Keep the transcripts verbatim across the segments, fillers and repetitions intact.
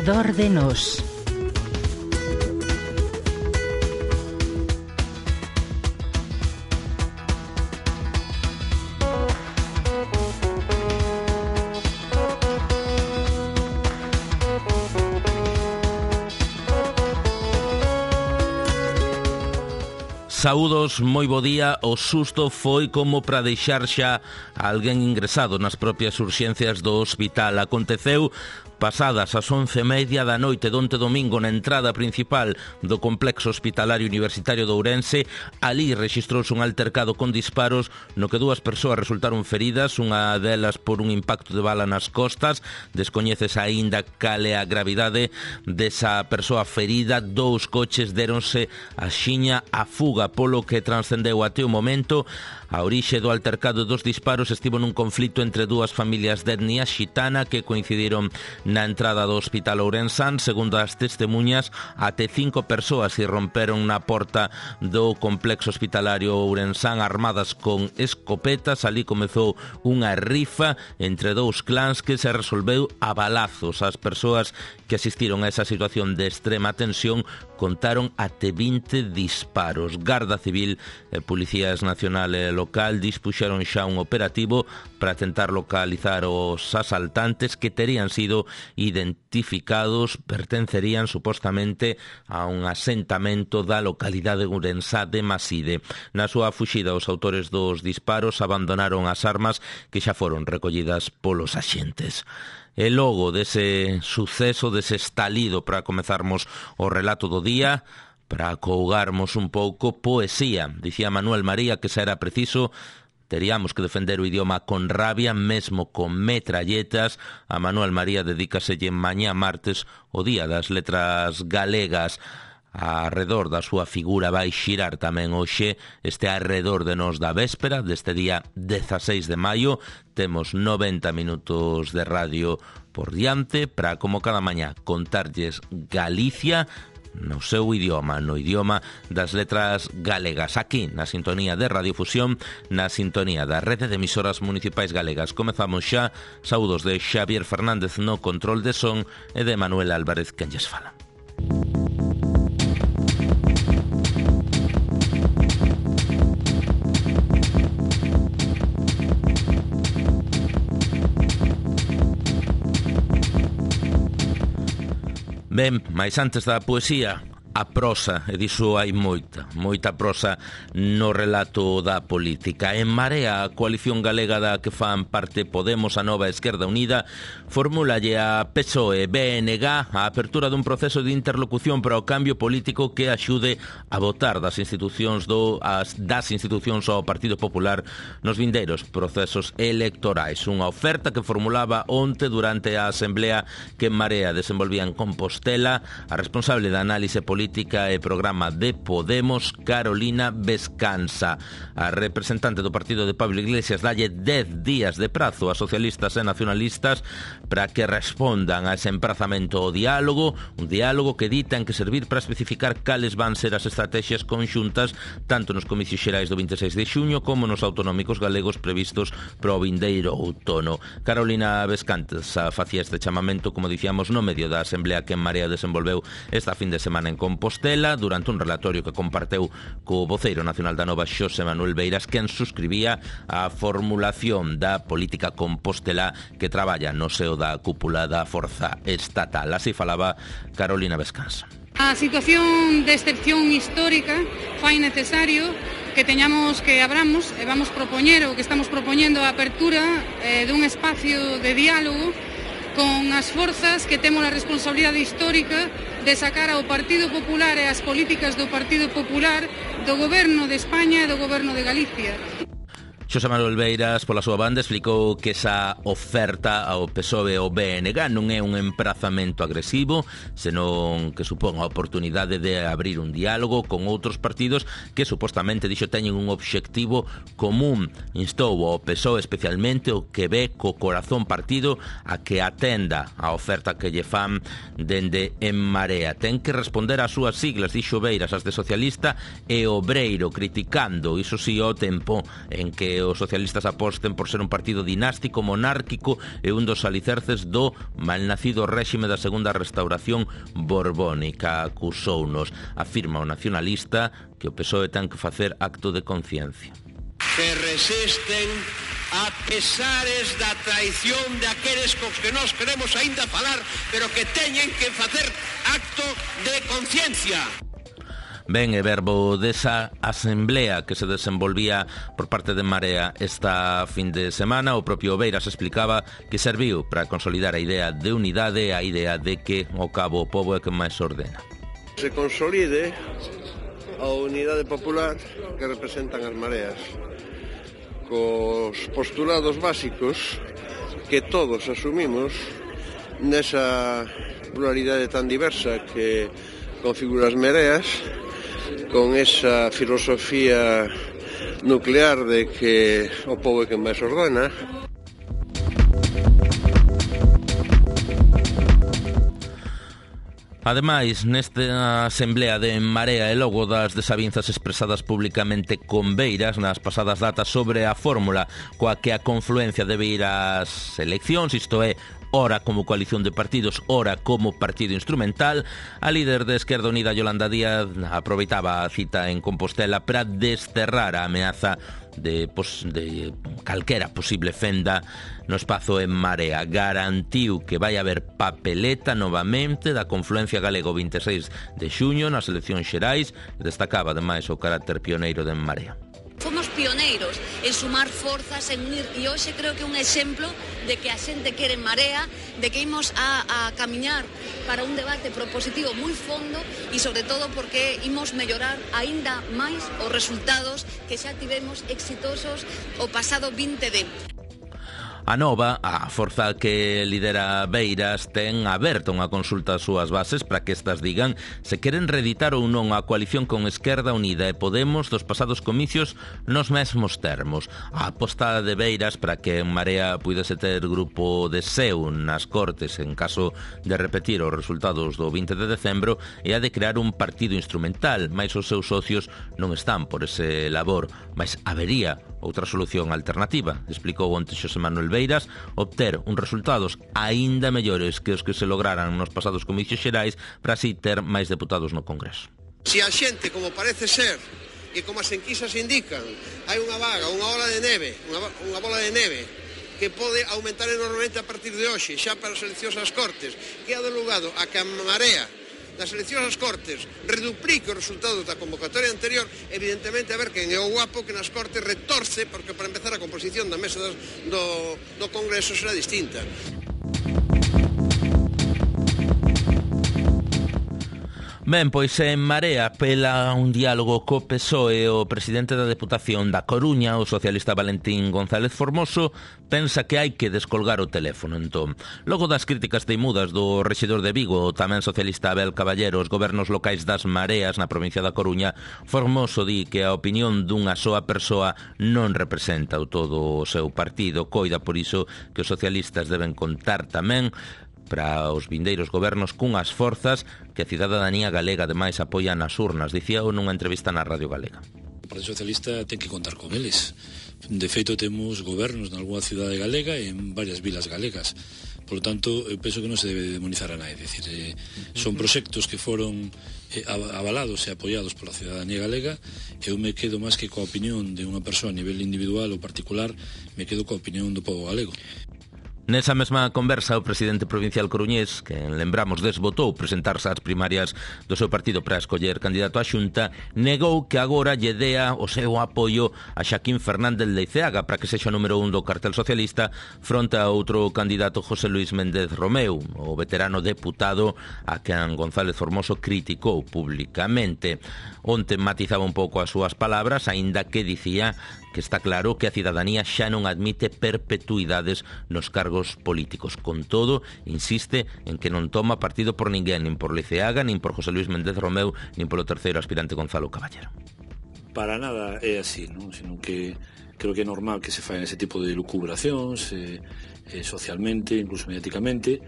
Arredor de nós. Saúdos, moi bo día. O susto foi como para deixar xa alguén ingresado nas propias urxencias do hospital. Aconteceu pasadas as once e media da noite donte domingo na entrada principal do complexo hospitalario universitario de Ourense. Ali rexistrouse un altercado con disparos no que dúas persoas resultaron feridas, unha delas por un impacto de bala nas costas. Descoñeces aínda cale a gravidade desa persoa ferida. Dous coches deronse a xiña a fuga, polo que transcendeu até o momento. A orixe do altercado dos disparos estivo nun conflito entre dúas familias de etnia xitana que coincidiron na entrada do hospital ourensán. Segundo as testemunhas, até cinco persoas irromperon na porta do complexo hospitalario ourensán armadas con escopetas. Ali comezou unha rifa entre dous clans que se resolveu a balazos. As persoas que asistiron a esa situación de extrema tensión contaron até vinte disparos. Garda Civil e Policías Nacional e local dispuxeron xa un operativo para tentar localizar os asaltantes que terían sido identificados, pertencerían supostamente a un asentamento da localidade ourensá de Maside. Na súa fuxida, os autores dos disparos abandonaron as armas que xa foron recollidas polos axentes. E logo dese suceso, dese estalido, para comezarmos o relato do día, para acougarmos un pouco, poesía. Dicía Manuel María que xa era preciso, teríamos que defender o idioma con rabia, mesmo con metralletas. A Manuel María dedícaselle mañá martes o Día das Letras Galegas. Arredor da súa figura vai xirar tamén hoxe este arredor de nós da véspera deste día dezaseis de maio. Temos noventa minutos de radio por diante para, como cada mañá, contarlles Galicia no seu idioma, no idioma das letras galegas, aquí na sintonía de Radiofusión, na sintonía da rede de emisoras municipais galegas. Comezamos xa. Saúdos de Xavier Fernández no control de son e de Manuel Álvarez quen lles fala. Ben, mais antes da poesía, a prosa, e diso hai moita, moita prosa no relato da política. En Marea, a coalición galega da que fan parte Podemos, a Nova Esquerda Unida, formúlalle a P S O E B N G a apertura dun proceso de interlocución para o cambio político que axude a votar das institucións do as das institucións ao Partido Popular nos vindeiros procesos electorais. Unha oferta que formulaba onte durante a asemblea que en Marea desenvolvía en Compostela a responsable da análise política Política e Programa de Podemos, Carolina Vescansa. A representante do partido de Pablo Iglesias dalle dez días de prazo a socialistas e nacionalistas para que respondan a ese emprazamento ao diálogo, un diálogo que di ten que servir para especificar cales van ser as estrategias conxuntas tanto nos comicios xerais do vinte e seis de xuño como nos autonómicos galegos previstos para o vindeiro outono. Carolina Vescansa facía este chamamento, como dicíamos, no medio da asemblea que en Marea desenvolveu esta fin de semana en Compostela, durante un relatorio que comparteu co voceiro nacional da Nova, Xosé Manuel Beiras, quen suscribía a formulación da política compostela que traballa no seo da cúpula da Forza Estatal. Así falaba Carolina Vescansa. A situación de excepción histórica fai necesario que teñamos que abramos e vamos propoñer o que estamos propoñendo a apertura eh, dun espacio de diálogo con as forzas que temos a responsabilidade histórica de sacar ao Partido Popular e as políticas do Partido Popular do Goberno de España e do Goberno de Galicia. Xosé Manuel Beiras, pola súa banda, explicou que esa oferta ao P S O E e ao B N G non é un emprazamento agresivo, senón que supón a oportunidade de abrir un diálogo con outros partidos que supostamente dixo teñen un obxectivo común. Instou ao P S O E, especialmente o que ve co corazón partido, a que atenda a oferta que lle fan dende En Marea. Ten que responder ás súas siglas, dixo Beiras, as de socialista e obreiro, criticando, iso si, o tempo en que que os socialistas aposten por ser un partido dinástico, monárquico e un dos alicerces do malnacido réxime da segunda restauración borbónica. Acusounos, afirma o nacionalista, que o P S O E ten que facer acto de conciencia. Que resisten a pesares da traición de aqueles cos que nós queremos aínda falar, pero que teñen que facer acto de conciencia. Ben, e verbo desa asemblea que se desenvolvía por parte de Marea esta fin de semana, o propio Beiras explicaba que serviu para consolidar a idea de unidade, a idea de que ao cabo o pobo é que máis ordena. Se consolide a unidade popular que representan as mareas, cos postulados básicos que todos asumimos nesa pluralidade tan diversa que configura as mareas, con esa filosofía nuclear de que o pobo é quen máis ordena. Ademais, nesta asemblea de Marea e logo das desavinzas expresadas públicamente con Beiras nas pasadas datas sobre a fórmula coa que a confluencia debe ir ás eleccións, isto é, ora como coalición de partidos, ora como partido instrumental, a líder de Esquerda Unida, Yolanda Díaz, aproveitaba a cita en Compostela para desterrar a ameaza de, pos, de calquera posible fenda no espazo en Marea. Garantiu que vai haber papeleta novamente da confluencia galego vinte e seis de xuño nas eleccións xerais e destacaba ademais o carácter pioneiro de En Marea. Fomos pioneiros en sumar forzas, en unir, e hoxe creo que é un exemplo de que a xente quere En Marea, de que imos a, a camiñar para un debate propositivo moi fondo e sobre todo porque imos mellorar aínda máis os resultados que xa tivemos exitosos o pasado vinte de. A Nova, a forza que lidera Beiras, ten aberta unha consulta ás súas bases para que estas digan se queren reeditar ou non a coalición con Esquerda Unida e Podemos dos pasados comicios nos mesmos termos. A apostada de Beiras para que En Marea puidese ter grupo de seu nas Cortes en caso de repetir os resultados do vinte de decembro é a de crear un partido instrumental, mais os seus socios non están por ese labor, mas habería outra solución alternativa, explicou onte Xosé Manuel Beiras, obter uns resultados aínda mellores que os que se lograran nos pasados comicios xerais para así ter máis deputados no Congreso. Se a xente, como parece ser, e como as enquisas indican, hai unha vaga, unha ola de neve, unha, unha bola de neve, que pode aumentar enormemente a partir de hoxe, xa para as eleccións ás Cortes, que ha delugado a que a Marea das eleccións ás Cortes reduplique os resultados da convocatoria anterior, evidentemente a ver quen é o guapo que nas Cortes retorce, porque para empezar a composición da mesa do, do Congreso será distinta. Ben, pois En Marea apela un diálogo co P S O E. O presidente da Deputación da Coruña, o socialista Valentín González Formoso, pensa que hai que descolgar o teléfono. Entón, logo das críticas teimudas do rexedor de Vigo, o tamén socialista Abel Caballero, os gobernos locais das Mareas na provincia da Coruña, Formoso di que a opinión dunha soa persoa non representa o todo o seu partido. Coida por iso que os socialistas deben contar tamén para os vindeiros gobernos cunhas forzas que a cidadanía galega ademais apoia nas urnas, dicía nunha entrevista na Radio Galega. O Partido Socialista ten que contar con eles. De feito, temos gobernos nalgúna cidade galega e en varias vilas galegas. Por lo tanto, eu penso que non se debe demonizar a nadie. Decir, eh, son proxectos que foron eh, avalados e apoiados pola cidadanía galega. Eu me quedo máis que coa opinión de unha persoa a nivel individual ou particular, me quedo coa opinión do pobo galego. Nesa mesma conversa, o presidente provincial coruñés, que lembramos desbotou presentarse ás primarias do seu partido para escoller candidato á Xunta, negou que agora lle dea o seu apoio a Xaquín Fernández Leiceaga para que sexa número un do cartel socialista fronte a outro candidato, José Luis Méndez Romeu, o veterano deputado a quen González Formoso criticou públicamente. Onte matizaba un pouco as súas palabras, aínda que dicía que está claro que a cidadanía xa non admite perpetuidades nos cargos políticos. Con todo, insiste en que non toma partido por ninguén, nin por Leiceaga, nin por José Luis Méndez Romeu, nin polo terceiro aspirante Gonzalo Caballero. Para nada é así, non? Sino que creo que é normal que se fagan ese tipo de lucubracións eh, eh, socialmente, incluso mediáticamente,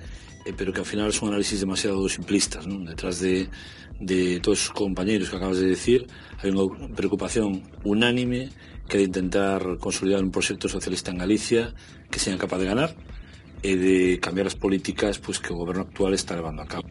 eh, pero que ao final son análisis demasiado simplistas, ¿no? Detrás de, de todos os compañeros que acabas de decir hai unha preocupación unánime que é de intentar consolidar un proxecto socialista en Galicia que sean capaz de ganar e de cambiar as políticas pues, que o goberno actual está levando a cabo.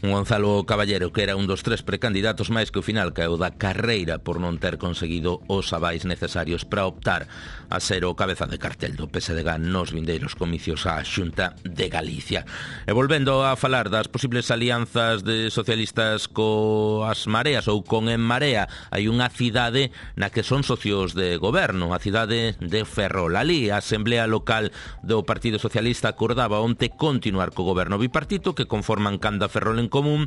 Un Gonzalo Caballero que era un dos tres precandidatos máis que ao final caeu da carreira por non ter conseguido os avais necesarios para optar a ser o cabeza de cartel do P S D G nos vindeiros comicios á Xunta de Galicia. E volvendo a falar das posibles alianzas de socialistas coas mareas ou con En Marea, hai unha cidade na que son socios de goberno, a cidade de Ferrol. Ali a Asamblea Local do Partido Socialista acordaba onte continuar co goberno bipartito que conforman Canda Ferrol en común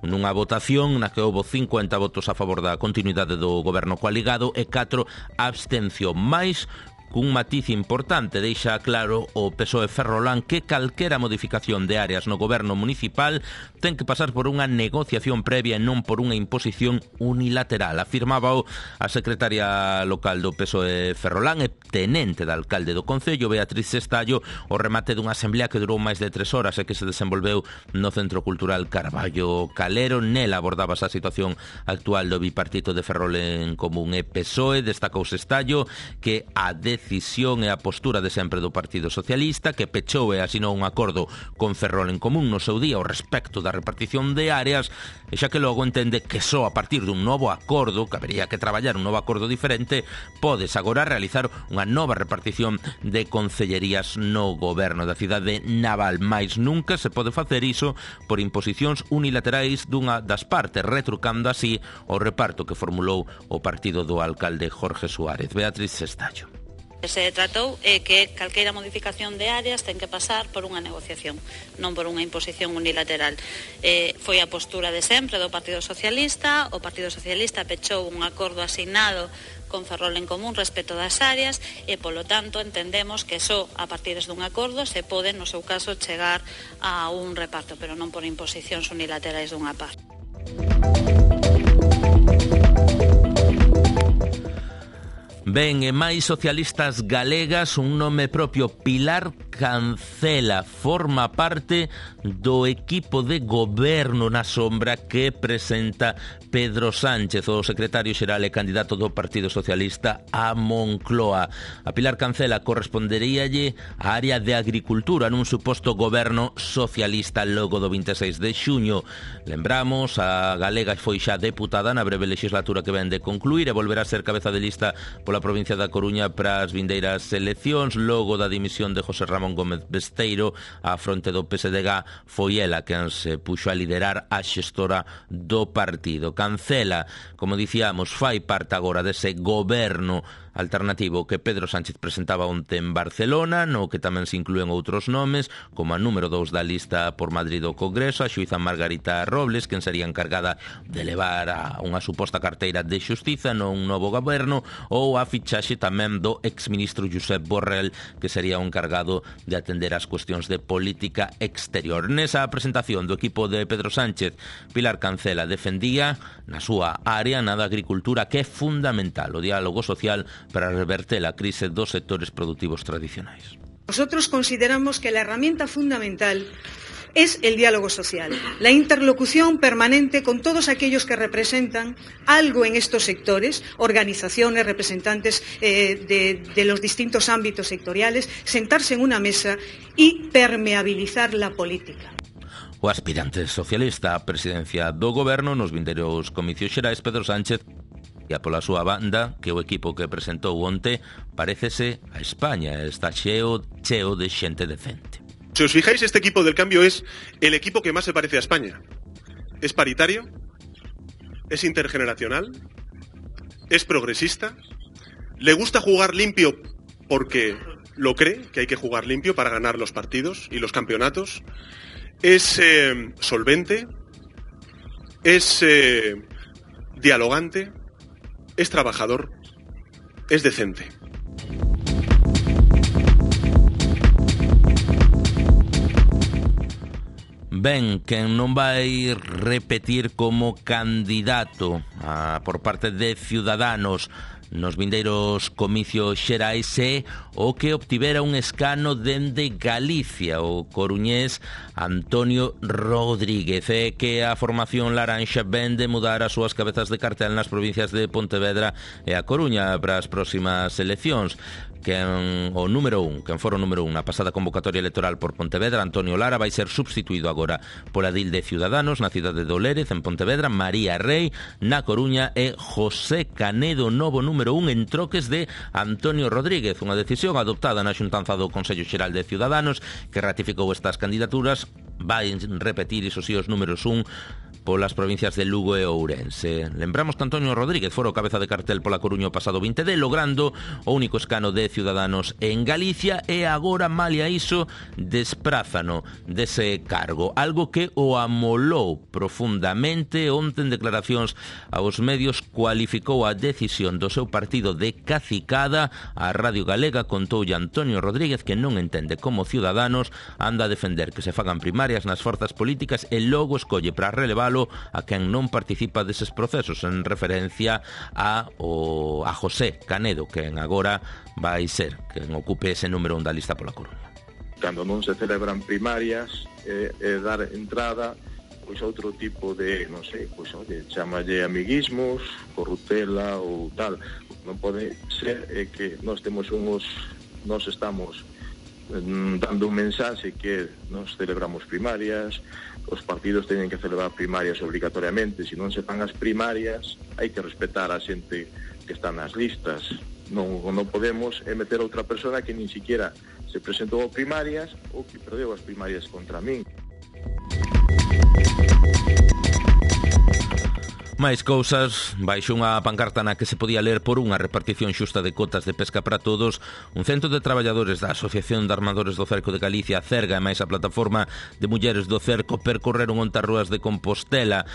nunha votación na que houbo cincuenta votos a favor da continuidade do goberno coaligado e catro abstención máis cun matiz importante. Deixa claro o P S O E ferrolán que calquera modificación de áreas no goberno municipal ten que pasar por unha negociación previa e non por unha imposición unilateral. Afirmaba a secretaria local do P S O E ferrolán e tenente da alcalde do Concello, Beatriz Estallo, o remate dunha asamblea que durou máis de tres horas e que se desenvolveu no Centro Cultural Carballo Calero. Nela abordaba a situación actual do bipartito de Ferrol en común e P S O E. Destacouse Estallo que a decisión e a postura de sempre do Partido Socialista, que pechou e asinou un acordo con Ferrol en común no seu día ao respecto da repartición de áreas, e xa que logo entende que só a partir dun novo acordo, que habería que traballar un novo acordo diferente, podes agora realizar unha nova repartición de concellerías no goberno da cidade naval, mais nunca se pode facer iso por imposicións unilaterais dunha das partes, retrucando así o reparto que formulou o partido do alcalde Jorge Suárez. Beatriz Estallo. Se tratou é que calqueira modificación de áreas ten que pasar por unha negociación, non por unha imposición unilateral. Eh, foi a postura de sempre do Partido Socialista. O Partido Socialista pechou un acordo asignado con Ferrol en común respecto das áreas e, polo tanto, entendemos que só a partir dun acordo se pode, no seu caso, chegar a un reparto, pero non por imposicións unilaterais dunha parte. Ben, e máis socialistas galegas, un nome propio, Pilar Cancela, forma parte do equipo de goberno na sombra que presenta Pedro Sánchez, o secretario xeral e candidato do Partido Socialista a Moncloa. A Pilar Cancela corresponderíalle a área de agricultura nun suposto goberno socialista logo do vinte e seis de xuño. Lembramos, a galega foi xa deputada na breve legislatura que ven de concluir e volverá a ser cabeza de lista pola provincia da Coruña para as vindeiras eleccións. Logo da dimisión de José Ramón Gómez Besteiro á fronte do P S D G, foi ela quen se puxo a liderar a xestora do partido. Cancela, como dicíamos, fai parte agora dese goberno alternativo que Pedro Sánchez presentaba onte en Barcelona, no que tamén se inclúen outros nomes, como a número dous da lista por Madrid do Congreso, a xuíza Margarita Robles, quen sería encargada de levar a unha suposta carteira de xustiza nun novo goberno, ou a fichaxe tamén do exministro Josep Borrell, que sería o encargado de atender as cuestións de política exterior. Nesa presentación do equipo de Pedro Sánchez, Pilar Cancela defendía na súa área na da agricultura que é fundamental o diálogo social para reverter a crise dos sectores productivos tradicionais. Nosotros consideramos que la herramienta fundamental es el diálogo social, la interlocución permanente con todos aquellos que representan algo en estos sectores, organizaciones, representantes eh, de, de los distintos ámbitos sectoriales, sentarse en una mesa y permeabilizar la política. O aspirante socialista á presidencia do goberno nos vindeiros comicios xerais, Pedro Sánchez, e a pola súa banda, que o equipo que presentou onte parécese a España, está cheo, cheo de xente decente. Si os fijáis, este equipo del cambio es el equipo que más se parece a España. Es paritario, es intergeneracional, es progresista, le gusta jugar limpio porque lo cree, que hay que jugar limpio para ganar los partidos y los campeonatos, es eh, solvente, es eh, dialogante, es trabajador, es decente. Ben, quen non vai repetir como candidato a, por parte de Ciudadanos nos vindeiros comicios xerais é o que obtivera un escano dende Galicia, o coruñés Antonio Rodríguez, é que a formación laranxa vende mudar as súas cabezas de cartel nas provincias de Pontevedra e a Coruña para as próximas eleccións. Quen o número un, quen fora o número un na pasada convocatoria electoral por Pontevedra, Antonio Lara, vai ser substituído agora pola Dil de Ciudadanos na cidade de Olérez, en Pontevedra, María Rei na Coruña e José Canedo, novo número un en troques de Antonio Rodríguez, unha decisión adoptada na xuntanza do Consello Xeral de Ciudadanos que ratificou estas candidaturas. Vai repetir iso si os números un polas provincias de Lugo e Ourense. Lembramos que Antonio Rodríguez fora o cabeza de cartel pola Coruña o pasado vinte de, logrando o único escano de Ciudadanos en Galicia, e agora, malia iso, desprázano dese cargo, algo que o amolou profundamente. Onte, en declaracións aos medios, cualificou a decisión do seu partido de cacicada. A Radio Galega contoulle Antonio Rodríguez que non entende como Ciudadanos anda a defender que se fagan primarias nas forzas políticas e logo escolle para relevalo a quen non participa deses procesos, en referencia a, o, a José Canedo, quen agora vai ser quen ocupe ese número un da lista pola Coruña. Cando non se celebran primarias, é, é dar entrada pois outro tipo de, non sei, pois oye, chamalle amiguismos, corruptela ou tal. Non pode ser é que nós temos uns, nós estamos dando un mensaxe que nos celebramos primarias, os partidos teñen que celebrar primarias obrigatoriamente. Se non se fan as primarias, hai que respetar a xente que está nas listas. Non, non podemos meter outra persona que nin siquiera se presentou a primarias ou que perdeu as primarias contra min. Máis cousas, baixo unha pancarta na que se podía ler por unha repartición xusta de cotas de pesca para todos, un cento de traballadores da Asociación de Armadores do Cerco de Galicia, Cerga, e máis a plataforma de mulleres do Cerco percorreron ontas rúas de Compostela.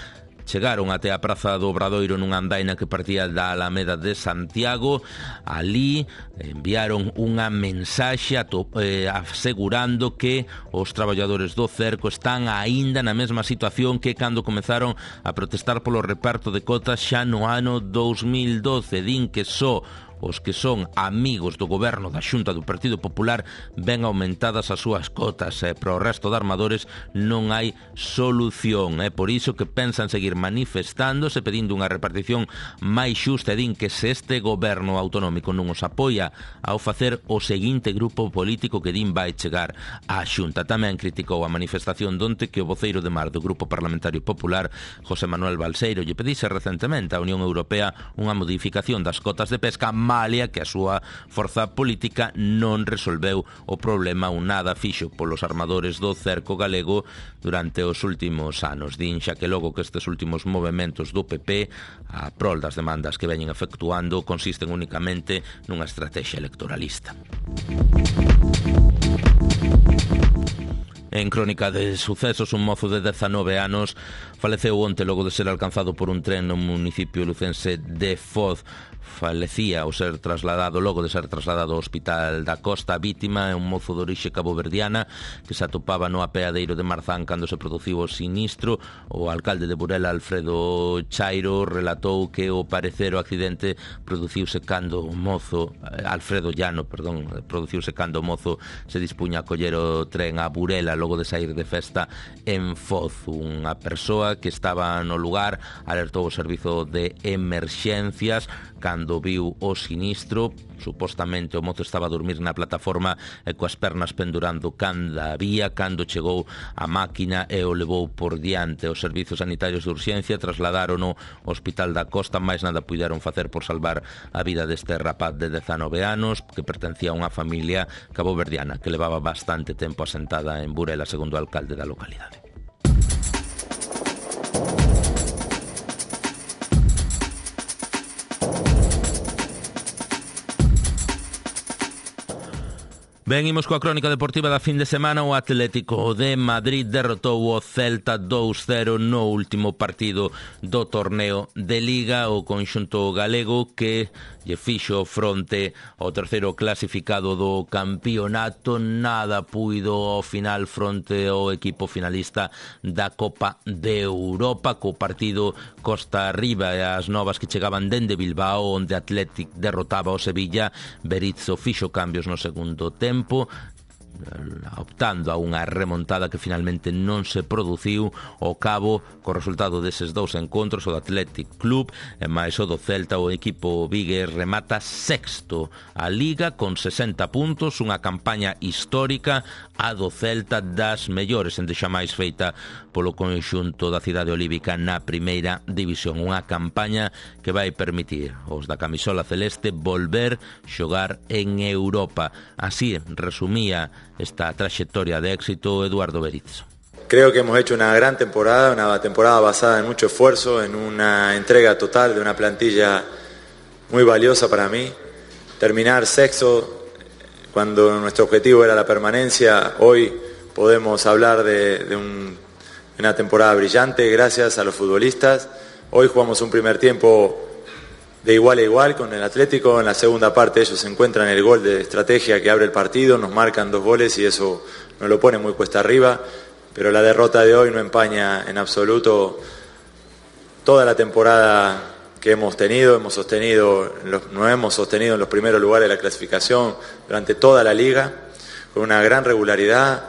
Chegaron até a Praza do Obradoiro nunha andaina que partía da Alameda de Santiago. Ali enviaron unha mensaxe eh, asegurando que os traballadores do cerco están aínda na mesma situación que cando comezaron a protestar polo reparto de cotas xa no ano dous mil doce. Din que só os que son amigos do goberno da Xunta do Partido Popular ven aumentadas as súas cotas, e para o resto de armadores non hai solución. É por iso que pensan seguir manifestándose pedindo unha repartición máis xusta, e din que se este goberno autonómico non os apoia ao facer o seguinte grupo político que din vai chegar á Xunta. Tamén criticou a manifestación donte que o voceiro de Mar do Grupo Parlamentario Popular, José Manuel Balseiro, lle pedise recentemente á Unión Europea unha modificación das cotas de pesca, malia que a súa forza política non resolveu o problema ou nada fixo polos armadores do cerco galego durante os últimos anos. Din xa que logo que estes últimos movementos do P P a prol das demandas que veñen efectuando consisten únicamente nunha estrategia electoralista. En crónica de sucesos, un mozo de dezanove anos faleceu onte logo de ser alcanzado por un tren no municipio lucense de Foz. Falecía ao ser trasladado, logo de ser trasladado ao Hospital da Costa. A vítima é un mozo de orixe caboverdiana que se atopaba no apeadeiro de Marzán cando se produciu o sinistro. O alcalde de Burela, Alfredo Chairo, relatou que o parecer o accidente produciuse cando o mozo, Alfredo Llano, perdón, produciuse cando o mozo se dispuña a coller o tren a Burela logo de sair de festa en Foz. Unha persoa que estaba no lugar alertou o servizo de emerxencias cando viu o sinistro. Supostamente o mozo estaba a dormir na plataforma e coas pernas pendurando canda vía cando chegou a máquina e o levou por diante. Os servizos sanitarios de urxencia trasladaron ao Hospital da Costa, máis nada puideron facer por salvar a vida deste rapaz de dezanove anos que pertencía a unha familia caboverdiana que levaba bastante tempo asentada en Burela, segundo o alcalde da localidade. Ben, imos coa crónica deportiva da fin de semana. O Atlético de Madrid derrotou o Celta dous cero no último partido do torneo de Liga. O conxunto galego que lle fixo fronte ao terceiro clasificado do campeonato. Nada puido ao final fronte ao equipo finalista da Copa de Europa, co partido costa arriba e as novas que chegaban dende Bilbao, onde Atlético derrotaba o Sevilla. Berizzo fixo cambios no segundo tempo, optando a unha remontada que finalmente non se produciu. Ao cabo, co resultado deses dous encontros, o do Athletic Club e máis o do Celta, o equipo vigués remata sexto a Liga con sesenta puntos, unha campaña histórica, a do Celta das mellores en xamais feita polo conxunto da cidade olívica na primeira división. Unha campaña que vai permitir aos da camisola celeste volver xogar en Europa. Así resumía esta trayectoria de éxito Eduardo Berizzo. Creo que hemos hecho una gran temporada, una temporada basada en mucho esfuerzo, en una entrega total de una plantilla muy valiosa para mí. Terminar sexto cuando nuestro objetivo era la permanencia, hoy podemos hablar de, de un, una temporada brillante gracias a los futbolistas. Hoy jugamos un primer tiempo de igual a igual con el Atlético. En la segunda parte ellos encuentran el gol de estrategia que abre el partido, nos marcan dos goles y eso nos lo pone muy cuesta arriba, pero la derrota de hoy no empaña en absoluto toda la temporada que hemos tenido. Hemos sostenido, nos hemos sostenido en los primeros lugares de la clasificación durante toda la liga con una gran regularidad,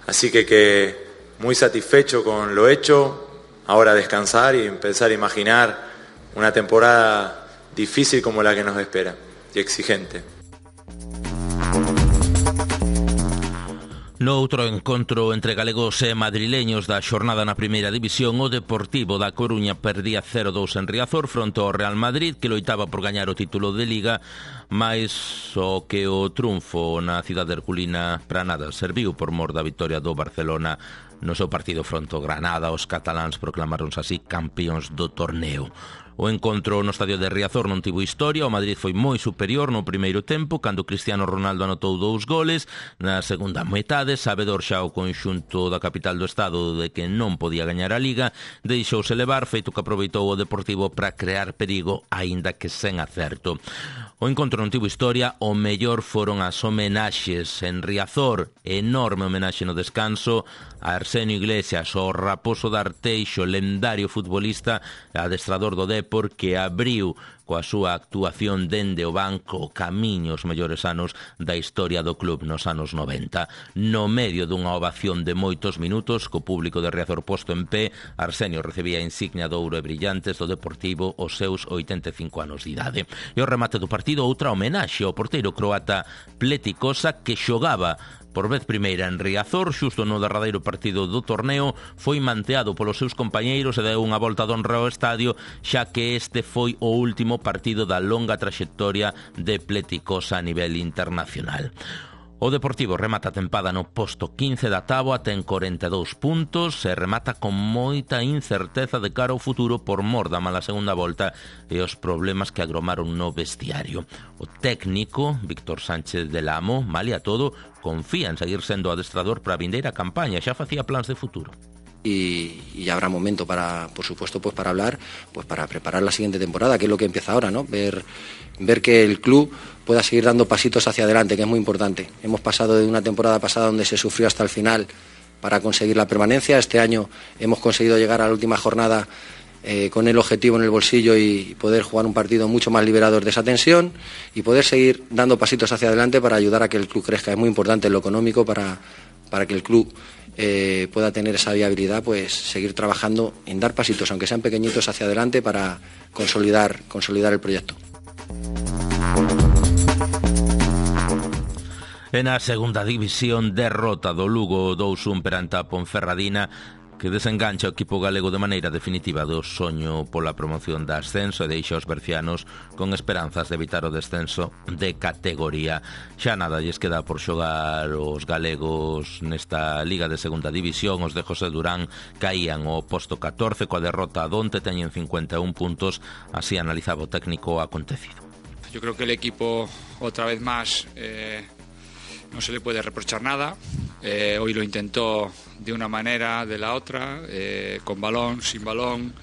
así que, que muy satisfecho con lo hecho. Ahora descansar y empezar a imaginar una temporada difícil como la que nos espera y exigente. No outro encontro entre galegos e madrileños da xornada na primeira división, o Deportivo da Coruña perdía cero dous en Riazor fronte ao Real Madrid, que loitaba por gañar o título de Liga, máis o que o triunfo na cidade herculina para nada serviu por mor da victoria do Barcelona no seu partido fronte ao Granada. Os cataláns proclamaronse así campións do torneo. O encontro no estadio de Riazor non tivo historia. O Madrid foi moi superior no primeiro tempo, cando Cristiano Ronaldo anotou dous goles. Na segunda metade, sabedor xa o conxunto da capital do estado de que non podía gañar a Liga, deixouse levar, feito que aproveitou o Deportivo para crear perigo, aínda que sen acerto. O encontro non tivo historia. O mellor foron as homenaxes en Riazor. Enorme homenaxe no descanso a Arsenio Iglesias, o raposo de Arteixo, lendario futbolista, adestrador do Depor, que abriu coa súa actuación dende o banco o camiño os mellores anos da historia do club nos anos noventa. No medio dunha ovación de moitos minutos, co público de Riazor posto en pé, Arsenio recibía a insignia de ouro e brillantes do Deportivo os seus oitenta e cinco anos de idade. E o remate do partido, outra homenaxe ao porteiro croata Pletikosa, que xogaba por vez primeira en Riazor, xusto no derradeiro partido do torneo. Foi manteado polos seus compañeiros e deu unha volta de honra ao estadio, xa que este foi o último partido da longa traxectoria de Pletikosa a nivel internacional. O Deportivo remata a tempada no posto quince da táboa, ten corenta e dous puntos e remata con moita incerteza de cara ao futuro por mor da mala segunda volta e os problemas que agromaron no vestiario. O técnico, Víctor Sánchez del Amo, malia todo, confía en seguir sendo adestrador para a vindeira campaña, xa facía plans de futuro. Y, y habrá momento para, por supuesto, pues para hablar, pues para preparar la siguiente temporada, que es lo que empieza ahora, ¿no? Ver, ver que el club pueda seguir dando pasitos hacia adelante, que es muy importante. Hemos pasado de una temporada pasada donde se sufrió hasta el final para conseguir la permanencia. Este año hemos conseguido llegar a la última jornada eh, con el objetivo en el bolsillo y poder jugar un partido mucho más liberador de esa tensión y poder seguir dando pasitos hacia adelante para ayudar a que el club crezca. Es muy importante en lo económico para, para que el club Eh, pueda tener esa viabilidad, pues seguir trabajando en dar pasitos, aunque sean pequeñitos, hacia adelante para consolidar, consolidar el proyecto. En a segunda división, derrota do Lugo dous un perante a Ponferradina, que desengancha o equipo galego de maneira definitiva do soño pola promoción da ascenso e deixa os bercianos con esperanzas de evitar o descenso de categoría. Xa nada lles queda por xogar os galegos nesta Liga de Segunda División. Os de José Durán caían ao posto catorce coa derrota a onte, teñen cincuenta e un puntos. Así analizaba o técnico o acontecido. Yo creo que el equipo otra vez más eh, no se le puede reprochar nada. Eh, hoy lo intentó de una manera, de la otra, eh, con balón, sin balón,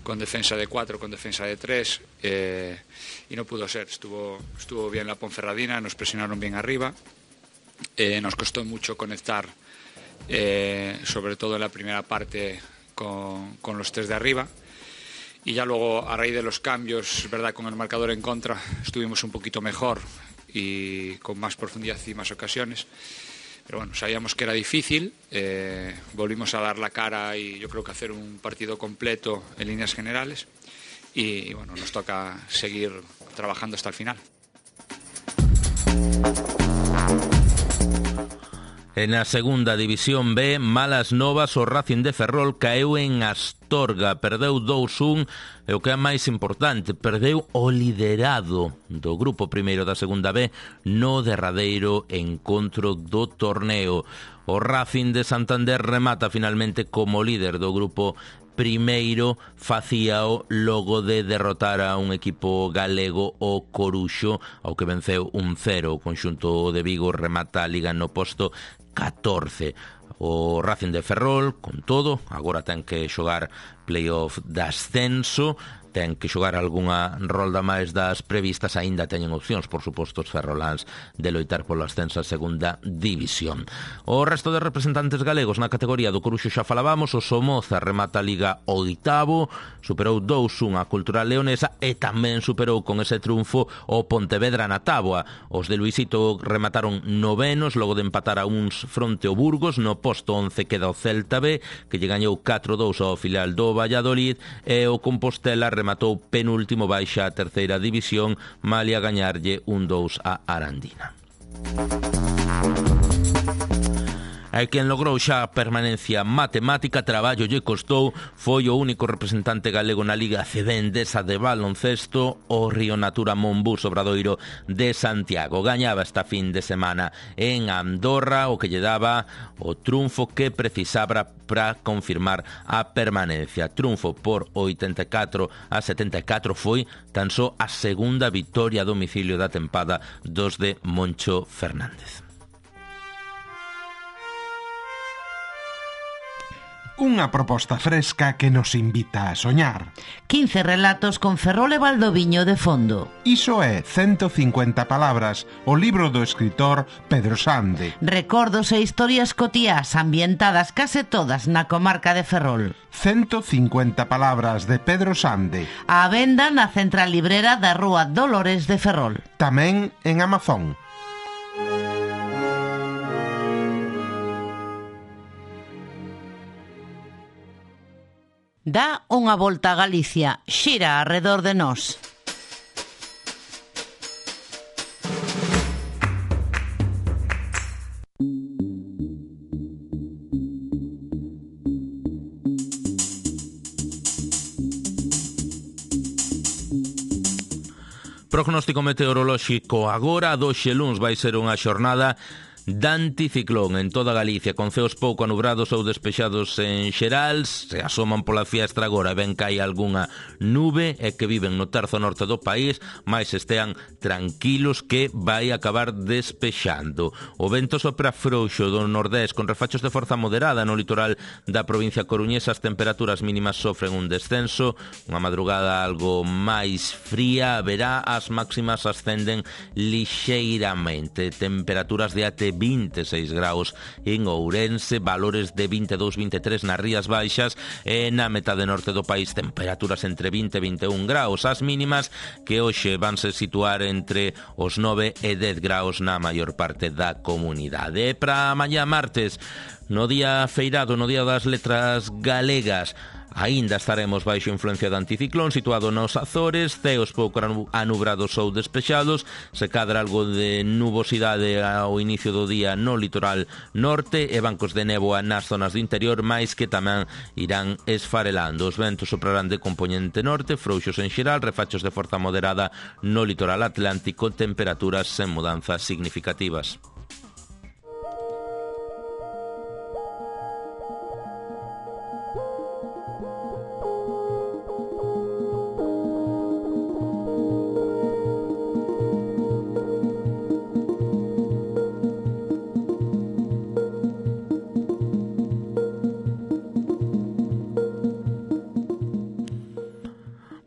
con defensa de cuatro, con defensa de tres, eh, y no pudo ser. Estuvo, estuvo bien la Ponferradina, nos presionaron bien arriba, eh, nos costó mucho conectar, eh, sobre todo en la primera parte con, con los tres de arriba, y ya luego a raíz de los cambios, es verdad, con el marcador en contra estuvimos un poquito mejor y con más profundidad y más ocasiones. Pero bueno, sabíamos que era difícil, eh, volvimos a dar la cara y yo creo que hacer un partido completo en líneas generales y, y bueno, nos toca seguir trabajando hasta el final. En a segunda división B, malas novas, o Racing de Ferrol caeu en Astorga, perdeu dous un, e o que é máis importante, perdeu o liderado do grupo primeiro da segunda B no derradeiro encontro do torneo. O Racing de Santander remata finalmente como líder do grupo primeiro, facíao logo de derrotar a un equipo galego, o Coruxo, ao que venceu un cero. O conxunto de Vigo remata a liga no posto catorce. O Racing de Ferrol, con todo, agora ten que xogar playoff de ascenso, ten que xogar algunha rolda máis das previstas, aínda teñen opcións, por suposto, os ferroláns de loitar polo ascenso a segunda división. O resto de representantes galegos na categoría do Coruxo xa falábamos. O Somoza remata a liga oitavo, superou dous un a Cultural Leonesa e tamén superou con ese triunfo o Pontevedra na táboa. Os de Luisito remataron novenos, logo de empatar a uns fronte o Burgos. No posto once queda o Celta B, que lle gañou catro dous ao filial do Valladolid, e o Compostela rematou penúltimo, baixa a terceira división, malia gañarlle un dous a Arandina. E quen logrou xa a permanencia matemática, traballo lle costou, foi o único representante galego na Liga C B Endesa de baloncesto, o Río Natura Monbús Obradoiro de Santiago. Gañaba esta fin de semana en Andorra, o que lle daba o triunfo que precisaba para confirmar a permanencia. Triunfo por oitenta e catro a setenta e catro, foi tan só a segunda vitoria a domicilio da tempada dos de Moncho Fernández. Unha proposta fresca que nos invita a soñar. quince relatos con Ferrol e Valdoviño de fondo. Iso é ciento cincuenta palabras, o libro do escritor Pedro Sande. Recordos e historias cotiás ambientadas case todas na comarca de Ferrol. ciento cincuenta palabras de Pedro Sande. A venda na central librera da Rúa Dolores de Ferrol. Tamén en Amazon. Dá unha volta a Galicia, xira arredor de nós. Prognóstico meteorolóxico agora. Doxe luns vai ser unha xornada de anticiclón en toda Galicia, con ceos pouco anubrados ou despexados en xeral. Se asoman pola fiestra agora, ben que hai algunha nube e que viven no terzo norte do país, mais estean tranquilos que vai acabar despexando. O vento sopra frouxo do nordés con refachos de forza moderada no litoral da provincia coruñesa. As temperaturas mínimas sofren un descenso, unha madrugada algo máis fría haberá, as máximas ascenden lixeiramente. Temperaturas de até vinte e seis graus en Ourense, valores de vinte e dous, vinte e tres nas Rías Baixas, e na metade norte do país temperaturas entre vinte e vinte e un graus. As mínimas que hoxe vanse situar entre os nove e dez graus na maior parte da comunidade. E para mañá martes, no día feirado, no día das letras galegas, aínda estaremos baixo influencia do anticiclón situado nos Azores, ceos pouco anubrados ou despexados, se cadra algo de nubosidade ao inicio do día no litoral norte e bancos de néboa nas zonas do interior, máis que tamén irán esfarelando. Os ventos soprarán de componente norte, frouxos en xeral, refachos de forza moderada no litoral atlántico, temperaturas sen mudanzas significativas.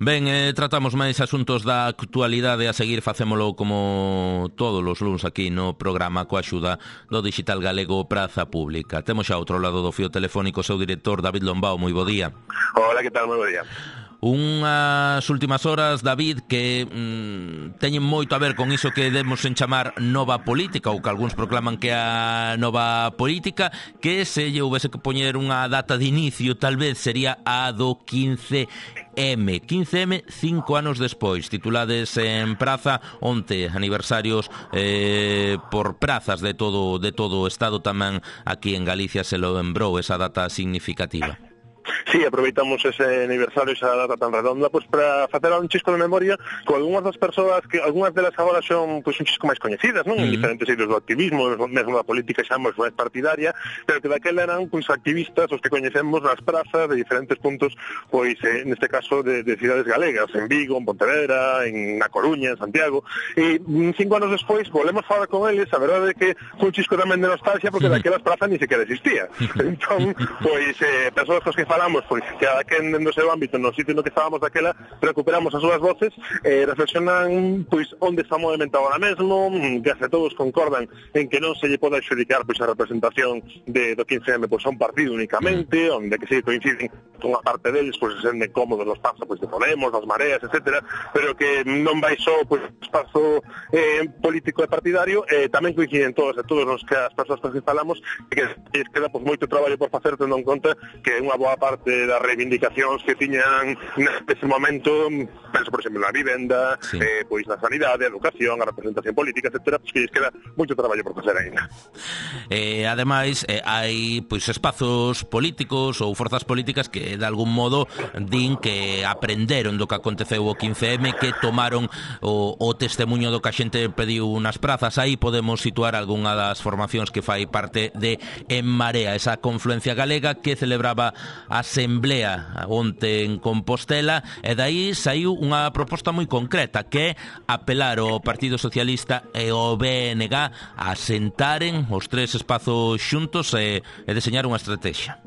Ben, eh, tratamos máis asuntos da actualidade, a seguir facémolo como todos os luns aquí no programa coa axuda do Digital Galego Praza Pública. Temos xa outro lado do fío telefónico o seu director David Lombao, moi bo día. Hola, que tal, moi bo día. Unhas últimas horas, David, que mm, teñen moito a ver con iso que demos en chamar nova política, ou que algúns proclaman que a nova política, que se lle houvese que poñer unha data de inicio, tal vez sería a do quince eme. quince eme, cinco anos despois, titulades en Praza, onte aniversarios eh, por prazas de todo, de todo o Estado, tamén aquí en Galicia se lo lembrou esa data significativa. Sí, aproveitamos ese aniversario, esa data tan redonda, pues para facer un chisco de memoria con algunhas das persoas que algunhas delas agora son pues un chisco máis coñecidas, non? Uh-huh. En diferentes eidos do activismo, mesmo da política xa máis partidaria, pero que daquela eran pues activistas os que coñecemos nas prazas de diferentes puntos, pois eh, neste caso de, de cidades galegas, en Vigo, en Pontevedra, en Na Coruña, en Santiago, e cinco anos despois volvemos a falar con eles, a verdade é que foi un chisco tamén de nostalgia porque uh-huh. daquelas prazas ni sequera existía. Entón, pois eh, persoas cos que falamos, pois que a que dentro do seu ámbito, no sitio no que estábamos daquela, recuperamos as súas voces, eh, reflexionan pois onde está movimentado ahora mesmo, case todos concordan en que non se lle pode adxudicar pois a representación de, do quince eme pois a un partido únicamente, onde que se coinciden con a parte deles, pois se senten cómodos los pasos pois de Podemos, das Mareas, etcétera, pero que non vai só pois espazo eh, político e partidario, eh, tamén coinciden todos e todos os que as persoas que falamos, que es queda pois moito traballo por facer, tendo en conta que unha boa parte das reivindicacións que tiñan neste momento, penso por exemplo na vivenda, sí. eh, pois na sanidade, a educación, a representación política, etcétera, pois que lles queda moito traballo por facer ainda. Eh, ademais, eh, hai pois espazos políticos ou forzas políticas que de algún modo din que aprenderon do que aconteceu o quince eme, que tomaron o, o testemunho do que a xente pediu nas prazas. Aí podemos situar algunha das formacións que fai parte de En Marea, esa confluencia galega que celebraba a Asamblea onte en Compostela, e dai saiu unha proposta moi concreta, que é apelar ao Partido Socialista e ao B N G a sentaren os tres espazos xuntos e, e deseñar unha estrategia.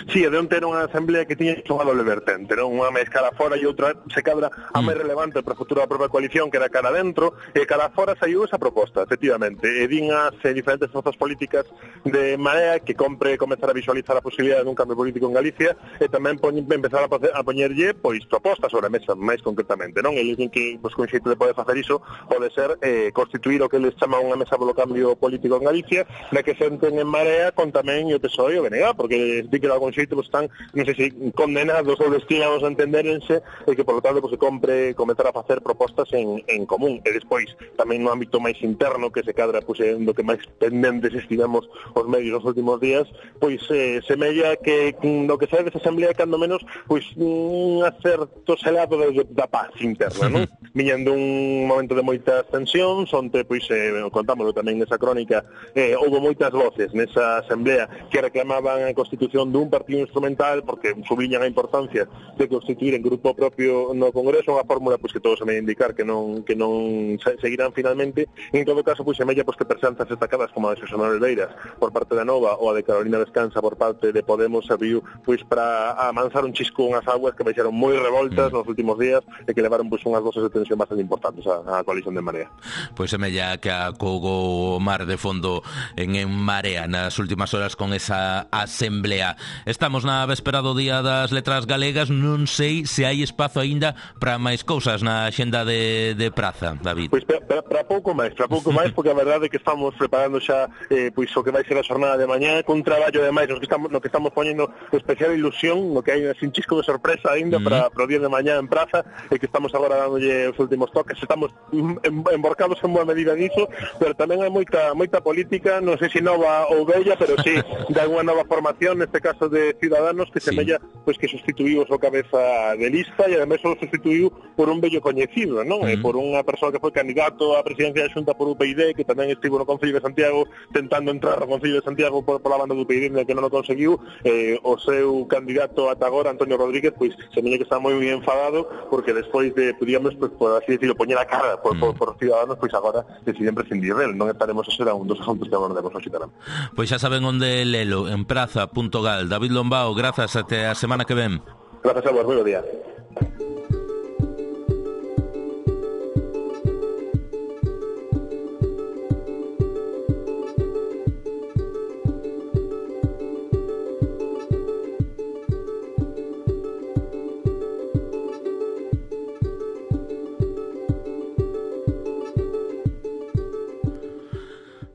Sí, de onte era unha asamblea que tiña unha doble vertente, non? Unha máis cara fora e outra se cadra a máis relevante para a futura da propia coalición, que era cara dentro, e cara fora saiu esa proposta, efectivamente, e din as eh, diferentes forzas políticas de Marea que compre comezar a visualizar a posibilidade dun cambio político en Galicia e tamén poñ, empezar a, a poñerlle pois propostas sobre a mesa, máis concretamente, non? Eles din que pois, con xeito de poder facer iso pode ser eh, constituir o que eles chaman unha mesa polo cambio político en Galicia, na que senten en Marea con tamén o P S O E e o B N G, porque di que algún xeito pues, están, non sei se condenados ou destinados a entenderense e que, por lo tanto, pues, se compre comenzar a facer propostas en, en común. E despois, tamén no ámbito máis interno, que se cadra pues, en do que máis pendentes estivemos os medios nos últimos días, pois eh, semella que no que sae desa asamblea, cando menos, pois un acerto selado de, da paz interna, non? Viñendo un momento de moitas tensións, onde, pois, eh, contámoslo tamén nesa crónica, eh, houve moitas voces nesa asamblea que reclamaban a constitución dun partido instrumental, porque subliñan a importancia de constituir en grupo propio no Congreso, unha fórmula pois, que todos se me indicar que non que non seguirán finalmente. En todo caso, pois, semella pois, que presentas destacadas como a de Xosé Manuel Beiras por parte da Nova ou a de Carolina Descansa por parte de Podemos serviu pois, para amansar un chisco unhas aguas que baixaron moi revoltas mm. nos últimos días e que levaron pois, unhas doses de tensión bastante importantes á, á coalición de Marea. Pois semella que a cogo mar de fondo en En Marea nas últimas horas con esa asamblea. Estamos na véspera do Día das Letras Galegas, non sei se hai espazo aínda para máis cousas na axenda de, de Praza, David. Pois para, para pouco máis, para pouco máis, porque a verdade é que estamos preparando xa eh, pois o que vai ser a xornada de mañá, con traballo ademais no que estamos, no que estamos poñendo especial ilusión, no que hai un chisco de sorpresa aínda mm. para, para o día de mañá en Praza, e que estamos agora dándolle os últimos toques, estamos emborcados en boa medida niso, pero tamén hai moita moita política, non sei se nova ou bella, pero sí, de alguna nova formación, neste caso de Ciudadanos, que sí. semella pois que sustituiu o seu cabeza de lista e ademais o sustituiu por un bello coñecido, non? Uh-huh. E por unha persoa que foi candidato á presidencia da Xunta por U P I D, que tamén estivo no Concello de Santiago tentando entrar no Concello de Santiago por, por la banda do U P I D, que non o conseguiu. Eh, o seu candidato ata agora, Antonio Rodríguez, pois semella que está moi moi enfadado porque despois de, podíamos, pois, por así decirlo, poñer a cara por, uh-huh. por, por Ciudadanos, pois agora deciden prescindir del. Non estaremos a ser a un dos asuntos que abordaremos hoxe tamén. Pois xa saben onde lelo, en praza punto gal. David Lombao, grazas, até a semana que ven. Grazas a vos, moi bo día.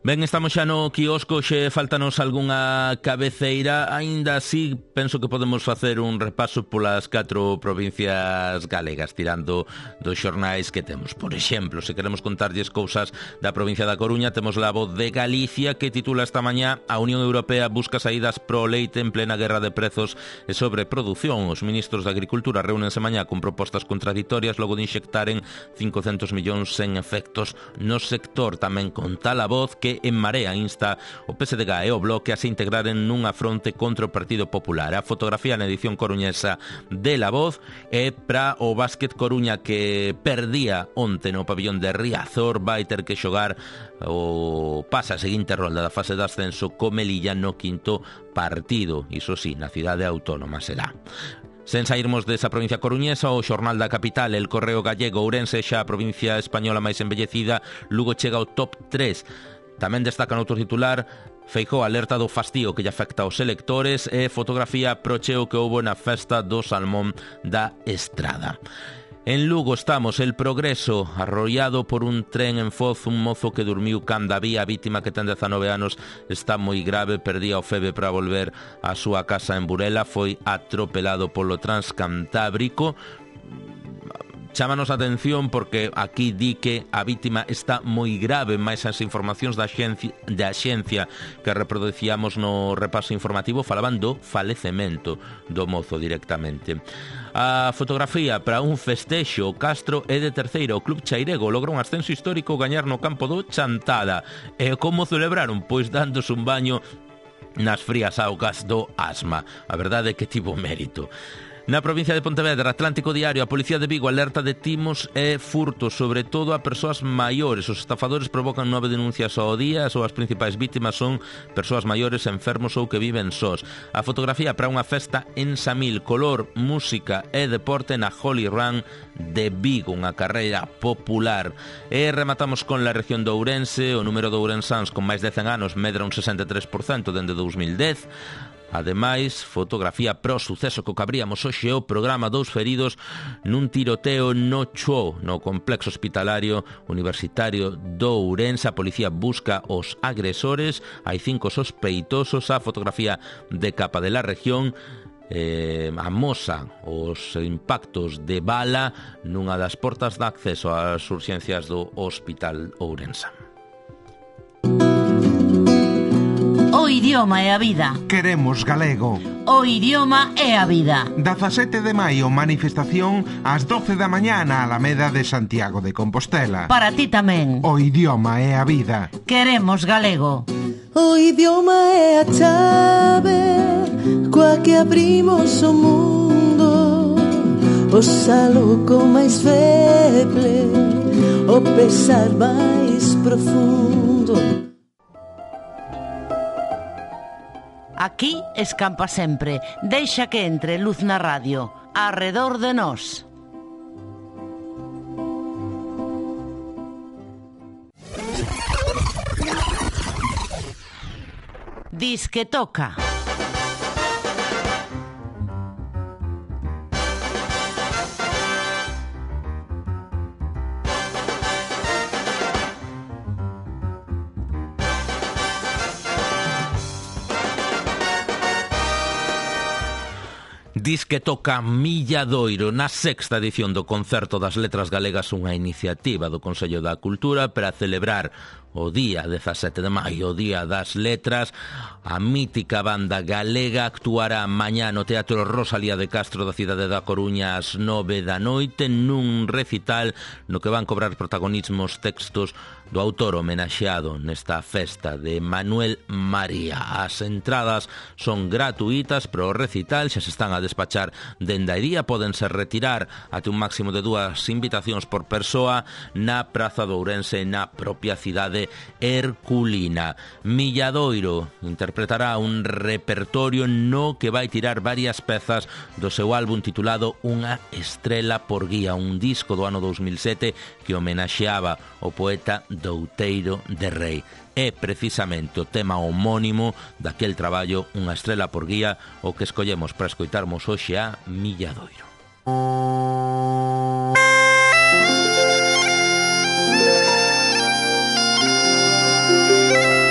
Ben, estamos xa no quiosco, xe faltanos algunha cabeceira, aínda así penso que podemos facer un repaso polas catro provincias galegas, tirando dos xornais que temos. Por exemplo, se queremos contarlles cousas da provincia da Coruña, temos La Voz de Galicia, que titula esta mañá: a Unión Europea busca saídas pro leite en plena guerra de prezos e sobreproducción. Os ministros de Agricultura reúnense mañá con propostas contraditorias logo de inxectaren cincocentos millóns en efectos no sector. Tamén conta La Voz que En Marea insta o P S D G e o Bloque a se integraren nunha fronte contra o Partido Popular. A fotografía na edición coruñesa de La Voz é para o Básquet Coruña, que perdía onte no pabillón de Riazor, vai ter que xogar o pasa a seguinte rolda da fase de ascenso co Melilla no quinto partido, iso sí, na cidade autónoma será. Sen sairmos desa provincia coruñesa, o xornal da capital, El Correo Gallego, Ourense xa a provincia española máis embellecida, Lugo chega ao top tres. Tamén destaca no outro titular: Feijóo alerta do fastío que lle afecta aos electores, e fotografía pro cheo que houbo na festa do Salmón da Estrada. En Lugo estamos, El Progreso, arrollado por un tren en Foz, un mozo que durmiu canda vía, a vítima, que ten dezanove anos, está moi grave, perdía o febe para volver á súa casa en Burela, foi atropelado polo Transcantábrico. Chámanos a atención porque aquí di que a vítima está moi grave, máis as informacións da xencia, da xencia que reproducíamos no repaso informativo falaban do falecemento do mozo directamente. A fotografía para un festexo: Castro é de terceiro, o Club Chairego logra un ascenso histórico, gañar no campo do Chantada. E como celebraron? Pois dándose un baño nas frías augas do Asma. A verdade é que tivo mérito. Na provincia de Pontevedra, Atlántico Diario, a Policía de Vigo alerta de timos e furtos, sobre todo a persoas maiores. Os estafadores provocan nove denuncias ao día, as súas principais vítimas son persoas maiores, enfermos ou que viven sós. A fotografía para unha festa en Samil, color, música e deporte na Holy Run de Vigo, unha carreira popular. E rematamos con la región de Ourense. O número de ourensáns con máis de cen anos medra un sesenta e tres por cento dende dous mil dez. Ademais, fotografía pro suceso co que abríamos hoxe o programa: dous feridos nun tiroteo no Chuo, no complexo hospitalario universitario do Ourense. A policía busca os agresores, hai cinco sospeitosos. A fotografía de capa de la región eh, amosa os impactos de bala nunha das portas de acceso ás urxencias do Hospital Ourense. O idioma é a vida. Queremos galego. O idioma é a vida. dezasete de maio, manifestación ás doce da mañá na Alameda de Santiago de Compostela. Para ti tamén. O idioma é a vida. Queremos galego. O idioma é a chave coa que abrimos o mundo. O saluco máis feble, o pesar máis profundo. Aquí escampa sempre. Deixa que entre luz na radio. Arredor de nós. Dis que toca. Dis que toca Milladoiro na sexta edición do Concerto das Letras Galegas, unha iniciativa do Consello da Cultura para celebrar o día dezasete de maio, o Día das Letras. A mítica banda galega actuará mañá no Teatro Rosalía de Castro da cidade da Coruña ás nove da noite nun recital no que van cobrar protagonismo os textos do autor homenaxeado nesta festa, de Manuel María. As entradas son gratuitas para o recital, xa se están a despachar dende a día, pódense retirar até un máximo de dúas invitacións por persoa na Praza de Ourense, na propia cidade herculina. Milladoiro interpretará un repertorio no que vai tirar varias pezas do seu álbum titulado Unha estrela por guía, un disco do ano dous mil sete que homenaxeaba o poeta Douteiro de Rei. É precisamente o tema homónimo daquel traballo, Unha estrela por guía, o que escollemos para escoitarmos hoxe a Milladoiro. Música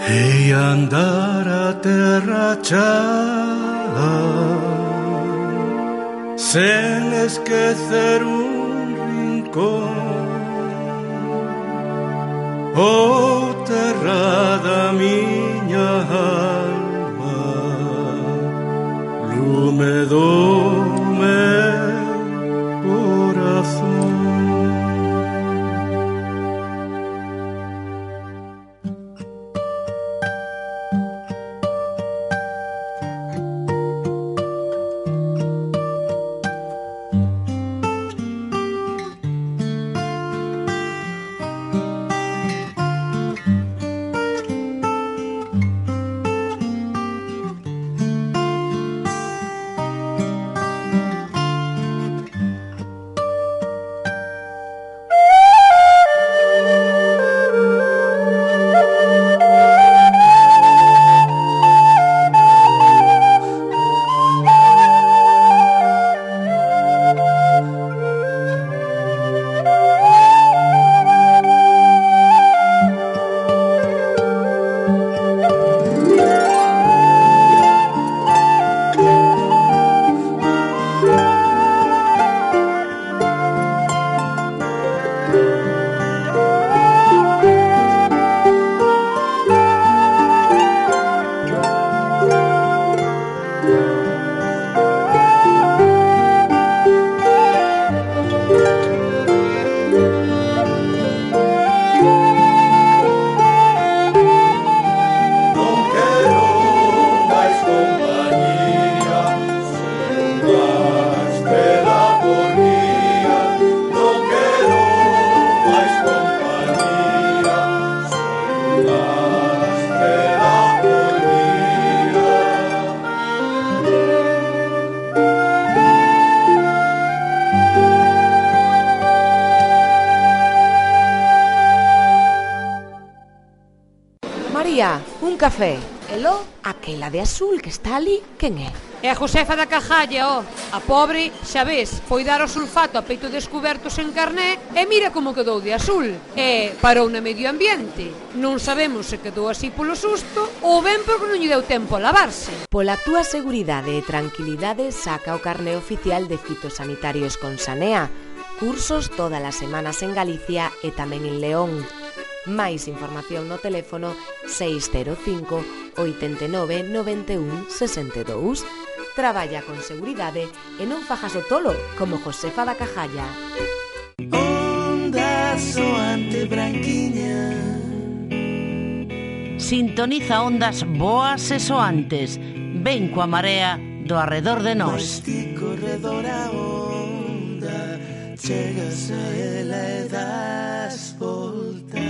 e andar a terra cha, sen esquecer un rincón. Oh, terra da miña alma, lume do meu corazón. Un café. Elo, aquela de azul que está ali, quen é? É a Josefa da Cajalla, ó. A pobre, xa ves, foi dar o sulfato a peito descuberto sen carné e mira como quedou de azul. E parou no medio ambiente. Non sabemos se quedou así polo susto ou ben porque non lle deu tempo a lavarse. Pola túa seguridade e tranquilidade saca o carné oficial de fitosanitarios con Sanea. Cursos todas as semanas en Galicia e tamén en León. Máis información no teléfono seis cero cinco, oito nove, nove un, seis dous. Traballa con seguridade e non fajas o tolo como Josefa da Cajalla. Onda soante branquiña. Sintoniza ondas boas e soantes. Ven coa marea do arredor de nós. Ti corredor a onda, chegas a ela e das volta.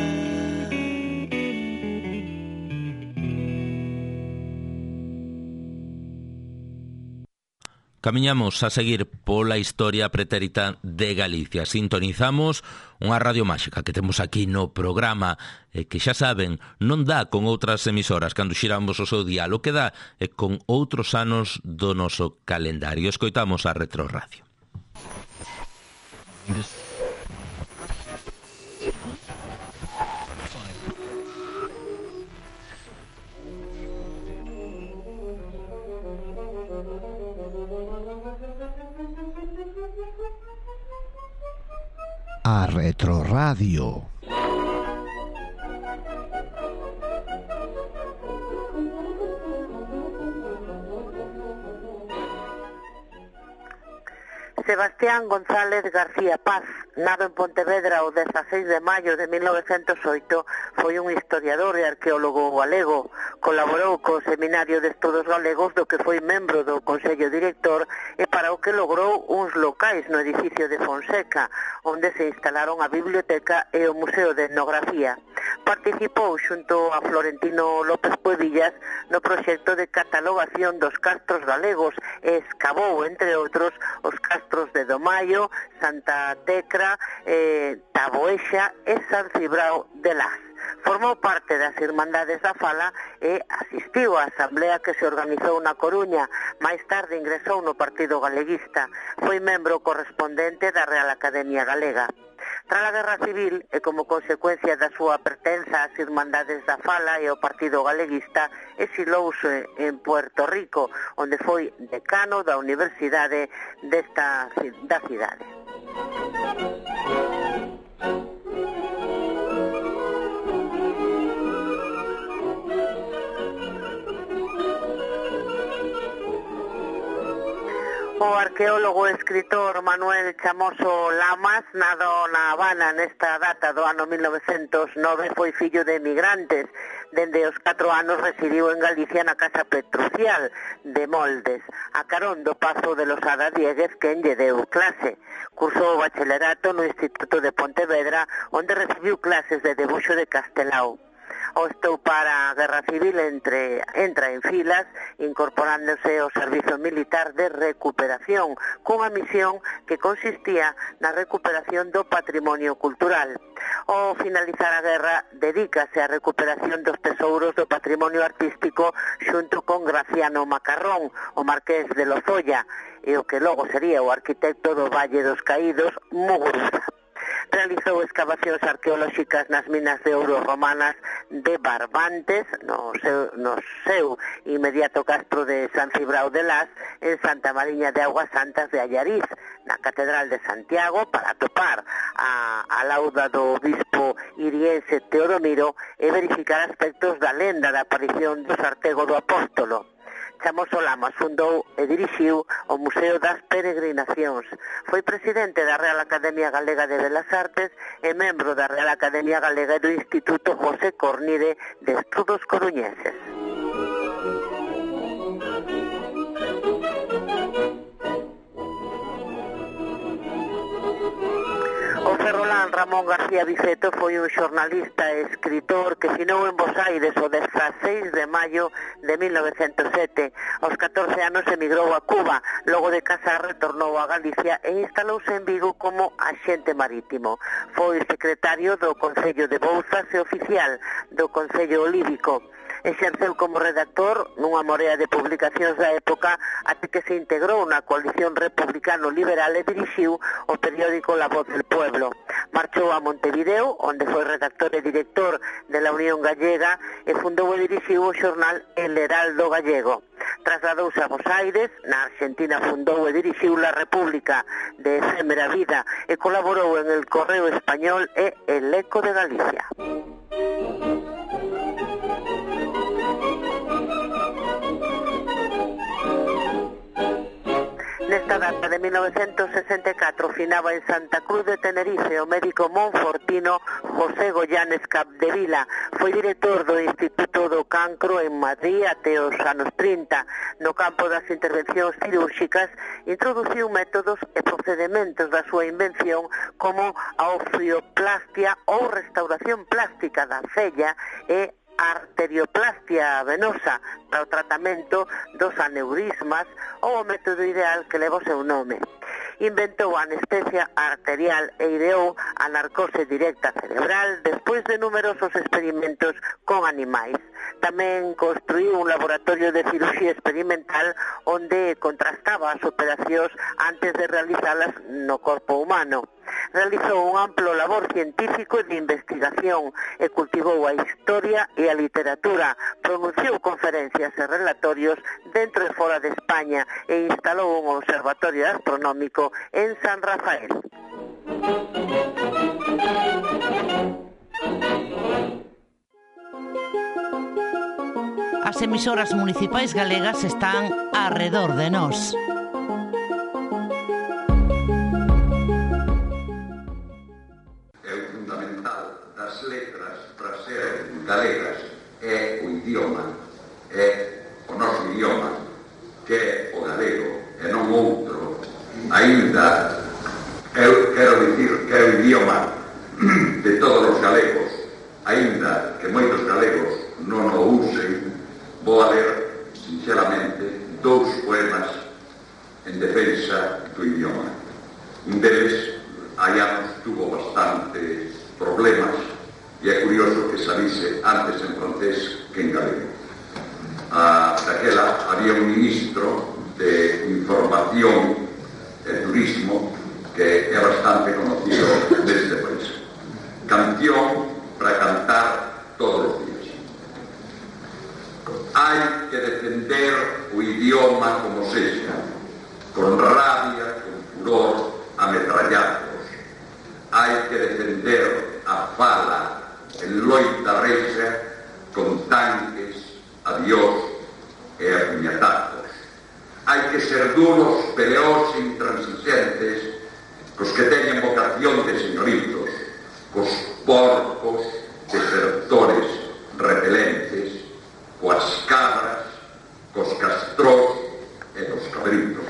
Camiñamos a seguir pola historia pretérita de Galicia. Sintonizamos unha radio máxica que temos aquí no programa e que xa saben, non dá con outras emisoras cando xiramos o seu dial, o que dá é con outros anos do noso calendario. Escoitamos a Retro Radio. A Retro Radio. Sebastián González García Paz, nado en Pontevedra o dezaseis de maio de mil novecentos oito, foi un historiador e arqueólogo galego. Colaborou co Seminario de Estudos Galegos, do que foi membro do Consello Director e para o que logrou uns locais no edificio de Fonseca, onde se instalaron a biblioteca e o Museo de Etnografía. Participou xunto a Florentino López Puevillas no proxecto de catalogación dos castros galegos e escavou, entre outros, os castros de Domaio, Santa Tecra, eh, Taboexa e San Cibrao de Las. Formou parte das Irmandades da Fala e asistiu á asamblea que se organizou na Coruña. Máis tarde ingresou no Partido Galeguista. Foi membro correspondente da Real Academia Galega. Tras a Guerra Civil e como consecuencia da súa pertenza ás Irmandades da Fala e ao Partido Galeguista, exilouse en Puerto Rico, onde foi decano da Universidade desta da cidade. O arqueólogo e escritor Manuel Chamoso Lamas, nado na Habana nesta data do ano mil novecentos nove, foi fillo de emigrantes. Dende os catro anos residiu en Galicia na Casa Petrucial de Moldes, a carón do Pazo de Losada Dieguez, quen lle deu clase. Cursou o bacharelato no Instituto de Pontevedra, onde recibiu clases de debuxo de Castelao. Ao estoupar a Guerra Civil entre, entra en filas, incorporándose ao servizo militar de recuperación, cunha misión que consistía na recuperación do patrimonio cultural. Ao finalizar a guerra, dedícase á recuperación dos tesouros do patrimonio artístico xunto con Graciano Macarrón, o marqués de Lozoya, e o que logo sería o arquitecto do Valle dos Caídos, Muguruza. Realizou excavacións arqueolóxicas nas minas de ouro romanas de Barbantes, no seu, no seu inmediato castro de San Cibrao de Las, en Santa Mariña de Aguas Santas de Allariz, na Catedral de Santiago, para topar a, a lauda do obispo iriense Teodomiro e verificar aspectos da lenda da aparición do Sartego do Apóstolo. Chamoso Lamas fundou e dirixiu o Museo das Peregrinacións. Foi presidente da Real Academia Galega de Belas Artes e membro da Real Academia Galega do Instituto José Cornide de Estudos Coruñeses. O ferrolán Ramón García Viceto foi un xornalista e escritor que finou en Bos Aires o dezaseis de maio de mil novecentos sete. Aos catorce anos emigrou a Cuba, logo de casar retornou a Galicia e instalouse en Vigo como axente marítimo. Foi secretario do Concello de Bouzas e oficial do Concello Olívico. Exerceu como redactor nunha morea de publicacións da época até que se integrou na coalición republicano-liberal e dirixiu o periódico La Voz del Pueblo. Marchou a Montevideo, onde foi redactor e director de la Unión Gallega e fundou e dirixiu o xornal El Heraldo Gallego. Trasladouse a Bos Aires, na Argentina fundou e dirixiu La República de Efémera Vida e colaborou en El Correo Español e El Eco de Galicia. Nesta data de mil novecentos sesenta e catro finaba en Santa Cruz de Tenerife o médico monfortino José Goyanes Capdevila. Foi director do Instituto do Cancro en Madrid até os anos trinta. No campo das intervencións cirúrxicas introduciu métodos e procedementos da súa invención como a ofioplastia ou restauración plástica da cella e arterioplastia venosa para o tratamento dos aneurismas ou o método ideal que leva o seu nome. Inventou a anestesia arterial e ideou a narcose directa cerebral despois de numerosos experimentos con animais. Tamén construiu un laboratorio de cirurxía experimental onde contrastaba as operacións antes de realizalas no corpo humano. Realizou un amplo labor científico e de investigación e cultivou a historia e a literatura, pronunciou conferencias e relatorios dentro e fora de España e instalou un observatorio astronómico en San Rafael. As emisoras municipais galegas están arredor de nós. Galegas é o idioma, é o noso idioma, que é o galego, e non outro. Ainda, eu quero dicir que é o idioma de todos os galegos, ainda que moitos galegos non o usen, vou a ler, sinceramente, dous poemas en defensa do idioma. Un deles, hai anos, tuvo bastantes problemas, e é curioso que salise antes en francés que en galego. Ah, daquela había un ministro de Información e Turismo que é bastante conocido neste país. canción para cantar todos os días. Hai que defender o idioma como sexa, con rabia, con furor, ametrallazos. Hai que defender a fala en loita rexa, con tanques, adiós e a puñetazos. Hai que ser duros, peleós e intransigentes cos que teñen vocación de señoritos, cos porcos, desertores, repelentes, coas cabras, cos castrós e cos cabritos.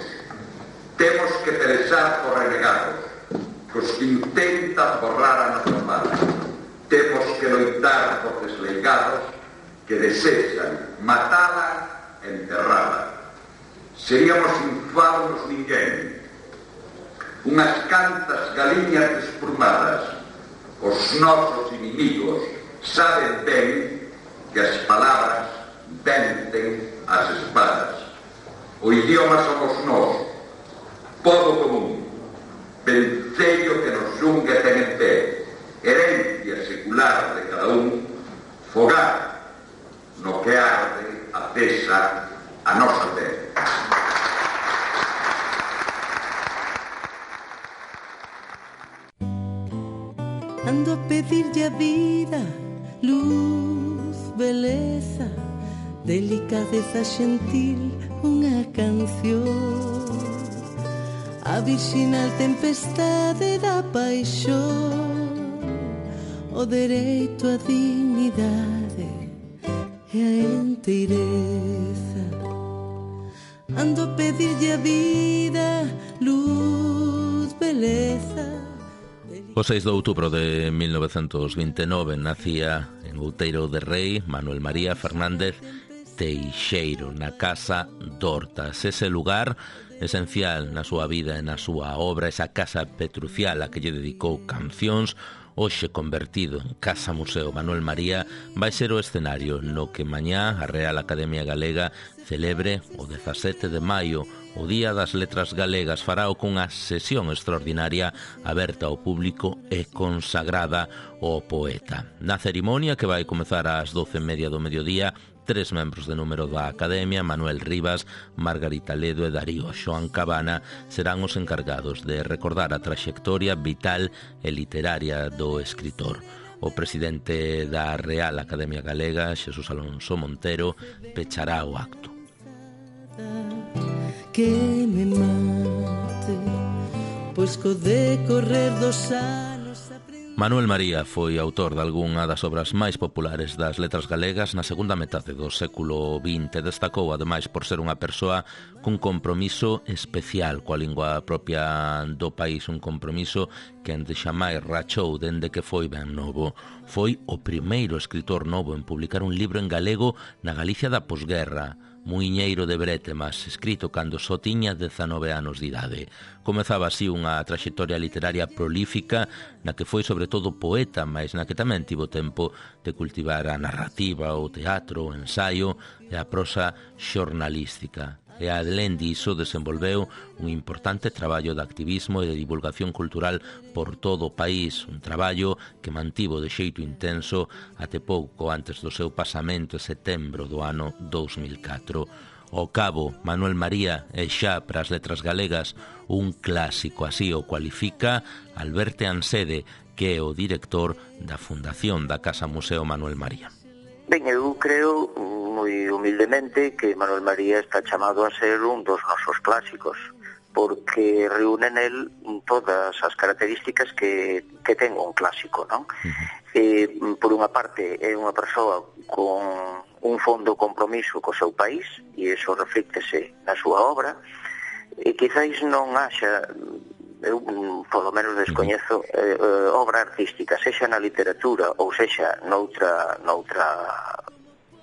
Temos que pelexar cos renegados, cos que intentan borrar a nosa paz. Temos que loitar por desleigados que desexan matala e enterrala. Seríamos infados ninguén. Unhas cantas galiñas desplumadas. Os nosos inimigos saben ben que as palabras vencen as espadas. O idioma somos nós, pobo común, vencello que nos xungue ten en pé, herencia secular de cada un, fogar no que arde a cesa a nosa terra. Ando a pedirlle a vida luz, beleza, delicadeza xentil, unha canción. A virxinal tempestade da paixón, o dereito á dignidade e a enteireza. Ando a pedirlle a vida luz, beleza. O seis de outubro de mil novecentos vinte e nove nacía en Outeiro de Rei Manuel María Fernández Teixeiro, na casa d'Hortas. Ese lugar esencial na súa vida e na súa obra, esa casa petrucial a que lle dedicou cancións, hoxe convertido en Casa Museo Manuel María, vai ser o escenario no que mañá a Real Academia Galega celebre o dezasete de maio, o Día das Letras Galegas. Farao cunha sesión extraordinaria aberta ao público e consagrada ao poeta. Na cerimonia, que vai comezar ás doce e media do mediodía, tres membros de número da Academia, Manuel Rivas, Margarita Ledo e Darío Xoán Cabana, serán os encargados de recordar a traxectoria vital e literaria do escritor. O presidente da Real Academia Galega, Xesús Alonso Montero, pechará o acto. Que me mate, pois co decorrer dos anos. Manuel María foi autor de algunha das obras máis populares das letras galegas na segunda metade do século vinte. Destacou, ademais, por ser unha persoa cun compromiso especial coa lingua propia do país, un compromiso que ende xamais rachou dende que foi ben novo. Foi o primeiro escritor novo en publicar un libro en galego na Galicia da posguerra, Muiñeiro de Brétemas, escrito cando só tiña dezanove anos de idade. Comezaba así unha traxectoria literaria prolífica na que foi sobre todo poeta, mas na que tamén tivo tempo de cultivar a narrativa, o teatro, o ensaio e a prosa xornalística. E alén diso desenvolveu un importante traballo de activismo e de divulgación cultural por todo o país, un traballo que mantivo de xeito intenso até pouco antes do seu pasamento en setembro do ano dous mil catro. Ao cabo, Manuel María é xa para as letras galegas un clásico, así o cualifica Alberto Ansede, que é o director da Fundación da Casa Museo Manuel María. Ben, eu creo moi humildemente que Manuel María está chamado a ser un dos nosos clásicos, porque reúne nel todas as características que, que ten un clásico, non? Uh-huh. Eh, por unha parte, é unha persoa con un fondo compromiso co seu país, e iso reflíctese na súa obra, e quizáis non haxa, eu polo menos descoñezo, eh, eh, obra artística, sexa na literatura ou sexa noutra, noutra,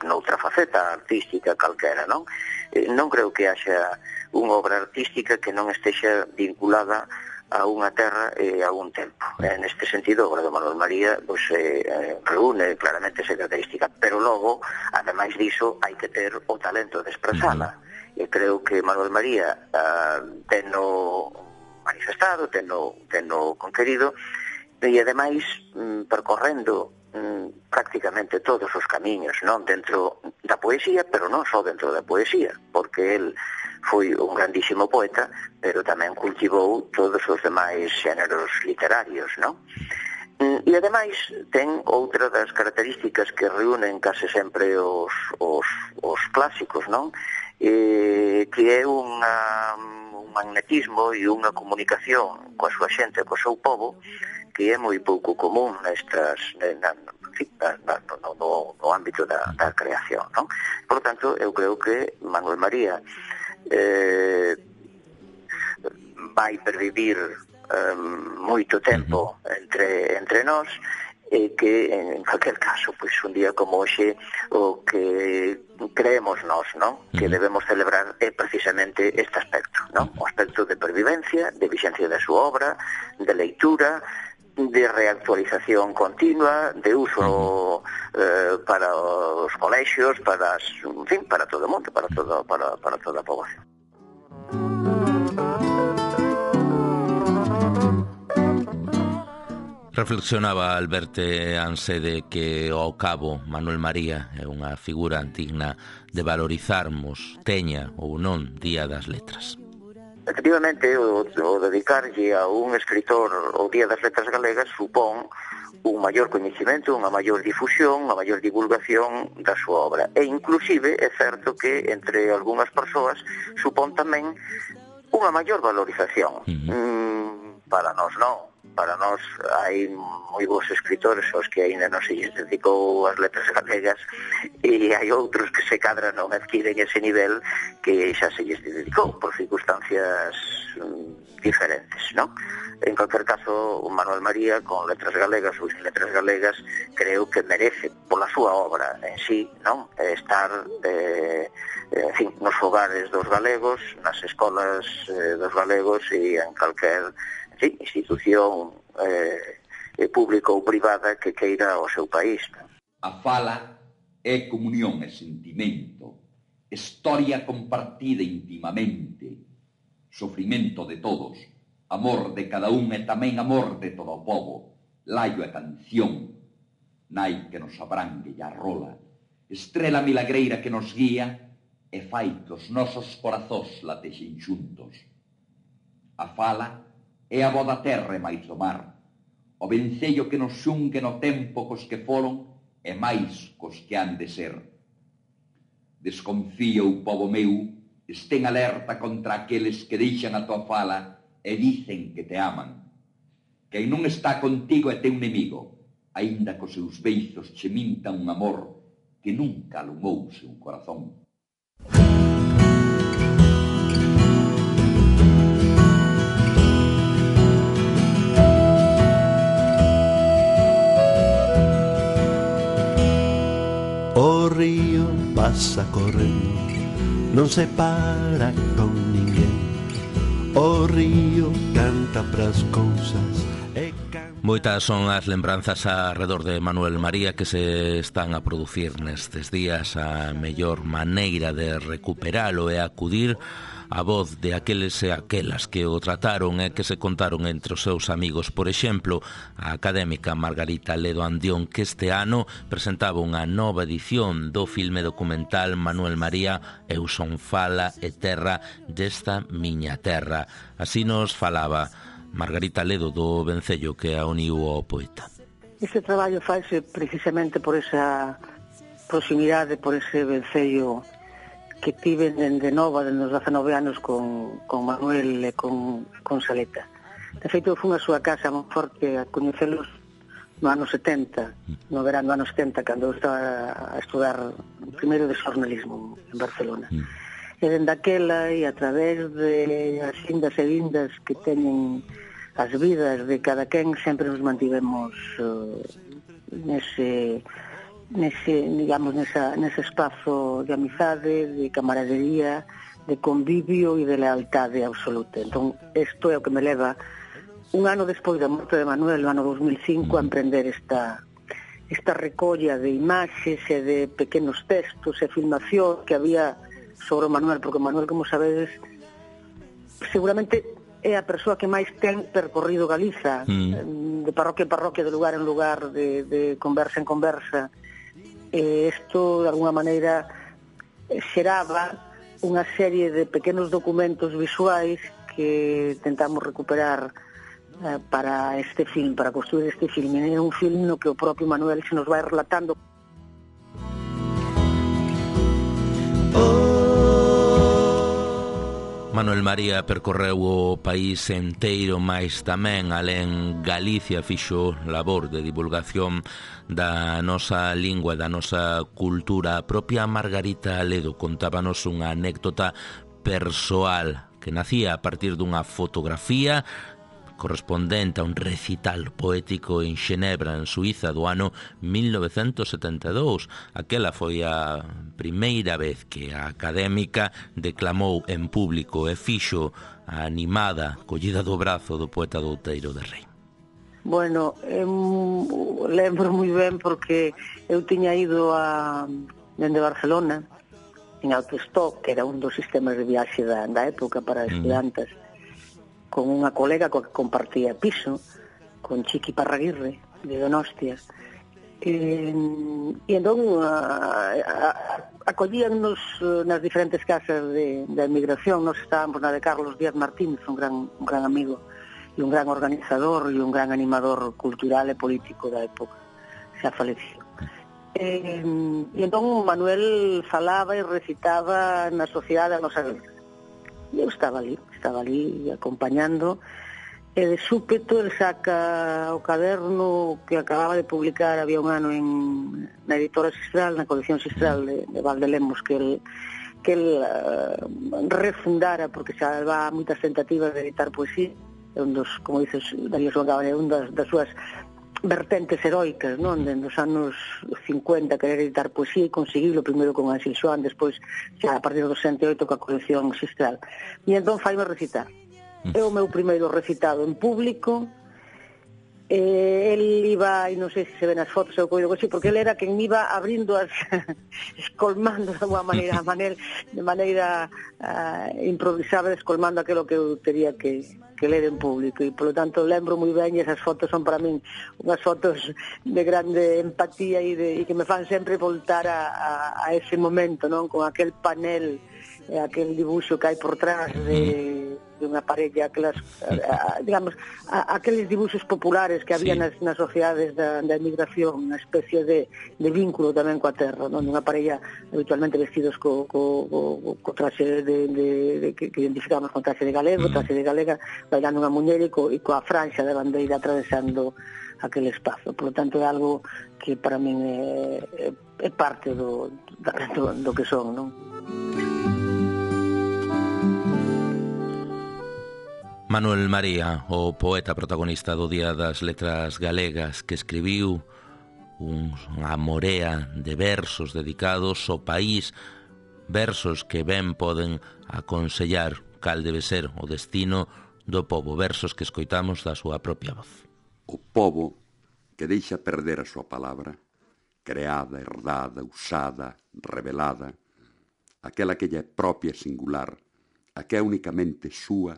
noutra faceta artística calquera, non? Eh, non creo que haxa unha obra artística que non estexa vinculada a unha terra e a un tempo. En este sentido, a obra de Manuel María pues, eh, reúne claramente esa característica, pero logo, ademais diso, hai que ter o talento de expresala. E creo que Manuel María uh, teno manifestado, teno, teno conquerido, e ademais percorrendo prácticamente todos os camiños, non, dentro da poesía, pero non só dentro da poesía, porque el foi un grandísimo poeta, pero tamén cultivou todos os demais xéneros literarios, non? E ademais ten outra das características que reúnen case sempre os, os, os clásicos, non? Eh, que é unha, un magnetismo e unha comunicación coa súa xente, coa seu povo, que é moi pouco común nestas, na, na, no, no, no ámbito da, da creación, non? Por tanto, eu creo que Manuel María eh, vai pervivir eh, moito tempo entre, entre nós, e que, en calquer caso, pois un día como hoxe, o que creemos nós, non? Que debemos celebrar é precisamente este aspecto, non? O aspecto de pervivencia, de vixencia da súa obra, de leitura, de reactualización continua, de uso eh, para os colexios, para, as, en fin, para todo o mundo, para, todo, para, para toda a poboación. Reflexionaba Alberto Ansede que ao cabo Manuel María é unha figura digna de valorizarmos, teña ou non Día das Letras. Efectivamente, o, o dedicarlle a un escritor o Día das Letras Galegas supón un maior coñecimento, unha maior difusión, unha maior divulgación da súa obra. E inclusive é certo que entre algunhas persoas supón tamén unha maior valorización. Uh-huh. Mm, para nós non. Para nós hai moi bons escritores aos que aínda non se lles dedicou as letras galegas, e hai outros que se cadra non adquiren ese nivel que xa se lles dedicou por circunstancias diferentes, non? En calquer caso, Manuel María, con letras galegas ou sin letras galegas, creo que merece, pola súa obra en sí, non? Estar eh, en fin, nos fogares dos galegos, nas escolas eh, dos galegos e en calquer sí, institución eh, pública ou privada que queira o seu país. A fala é comunión e sentimento, historia compartida intimamente, sofrimento de todos, amor de cada un e tamén amor de todo o povo, laio e canción, nai que nos abrangue e arrola, estrela milagreira que nos guía e fai que os nosos corazóns latexen xuntos. A fala é a voz da terra e máis do mar, o vencello que nos xungue no tempo cos que foron e máis cos que han de ser. Desconfía o povo meu, estén alerta contra aqueles que deixan a tua fala e dicen que te aman. Quen non está contigo é teu inimigo, aínda cos seus beizos che mintan un amor que nunca alumou seu corazón. O río pasa correndo, non se para con ninguén. O río canta pras cousas e canta... Moitas son as lembranzas alrededor de Manuel María que se están a producir nestes días. A mellor maneira de recuperalo é acudir a voz de aqueles e aquelas que o trataron e que se contaron entre os seus amigos. Por exemplo, a académica Margarita Ledo Andión, que este ano presentaba unha nova edición do filme documental Manuel María, Eu son fala e terra desta miña terra. Así nos falaba Margarita Ledo do vencello que a uniu ao poeta. Este traballo faise precisamente por esa proximidade, por ese vencello que tive dende nova, dende os dezanove anos con, con Manuel e con, con Saleta. De feito, fui a súa casa moi forte a coñecelos no ano setenta, no verano do ano setenta, cando eu estaba a estudar primeiro de xornalismo en Barcelona. E dende aquela, e a través de as indas e vindas que teñen as vidas de cada quen, sempre nos mantivemos uh, nese... nese, digamos, nesa, nese espazo de amizade, de camaradería, de convivio e de lealtade absoluta. Entón, isto é o que me leva un ano despois da morte de Manuel, no ano dos mil cinco, a emprender esta, esta recolla de imaxes e de pequenos textos e filmación que había sobre o Manuel, porque Manuel, como sabedes, seguramente é a persoa que máis ten percorrido Galiza, mm. de parroquia en parroquia, de lugar en lugar, de, de conversa en conversa. E isto, de alguna maneira, xeraba unha serie de pequenos documentos visuais que tentamos recuperar eh, para este film, para construir este film. É un film no que o propio Manuel se nos vai relatando. Manuel María percorreu o país enteiro, mais tamén alén Galicia fixo labor de divulgación da nosa lingua, da nosa cultura. A propia Margarita Aledo contábanos unha anécdota persoal que nacía a partir dunha fotografía correspondente a un recital poético en Xenebra, en Suiza, do ano mil novecentos setenta e dous. Aquela foi a primeira vez que a académica declamou en público e fixo a animada collida do brazo do poeta do Outeiro de Rei. Bueno, eu lembro moi ben porque eu tiña ido a dende Barcelona en autostop, que era un dos sistemas de viaxe da, da época para estudantes, mm. con unha colega coa que compartía piso, con Chiqui Parraguirre, de Donostia. E, e entón a, a, acollíannos nas diferentes casas de, de emigración. Nos estábamos na de Carlos Díaz Martínez, un gran, un gran amigo e un gran organizador e un gran animador cultural e político da época, xa falecido. E, e entón Manuel falaba e recitaba na sociedade a nosa guerra. E eu estaba ali, estaba ali acompañando, e de súpeto el saca o caderno que acababa de publicar había un ano en, na editora Sistral, na colección Sistral de, de Valdelemos, que el, que el uh, refundara, porque xa va moitas tentativas de editar poesía, un dos, como dices, Darío Songabaña, un das, das súas vertentes heroicas, non? De nos anos cincuenta querer editar poesía e conseguirlo primeiro con Anxel Xoán, despois xa a partir do sesenta e oito coa colección Sistral. E entón faime recitar. É o meu primeiro recitado en público. Eh, el iba, e non sei se se ven as fotos ou coido así, porque el era quen me iba abrindo as escolmando de alguma maneira, maneira de maneira uh, improvisada, escolmando aquilo que eu teria que, que ler en público, e polo tanto lembro moi ben, e esas fotos son para min unhas fotos de grande empatía e, de, e que me fan sempre voltar a, a, a ese momento, non? Con aquel panel, eh, aquel dibuixo que hai por trás de de unha parella, aquelas, a, a, digamos, a, aqueles dibuxos populares que había sí. nas, nas sociedades da, da emigración, unha especie de, de vínculo tamén coa terra, non? Unha parella habitualmente vestidos co, co, co, co traxe de, de, de, que, que identificamos con traxe de galego, mm. traxe de galega, bailando unha muñeira e, co, e coa franxa da bandeira atravesando aquel espazo. Por lo tanto, é algo que para min é, é, é parte do, do, do que son, non? Manuel María, o poeta protagonista do Día das Letras Galegas, que escribiu unha morea de versos dedicados ao país, versos que ben poden aconsellar cal debe ser o destino do pobo, versos que escoitamos da súa propia voz. O pobo que deixa perder a súa palabra, creada, herdada, usada, revelada, aquela que lle é propia e singular, a que é únicamente súa,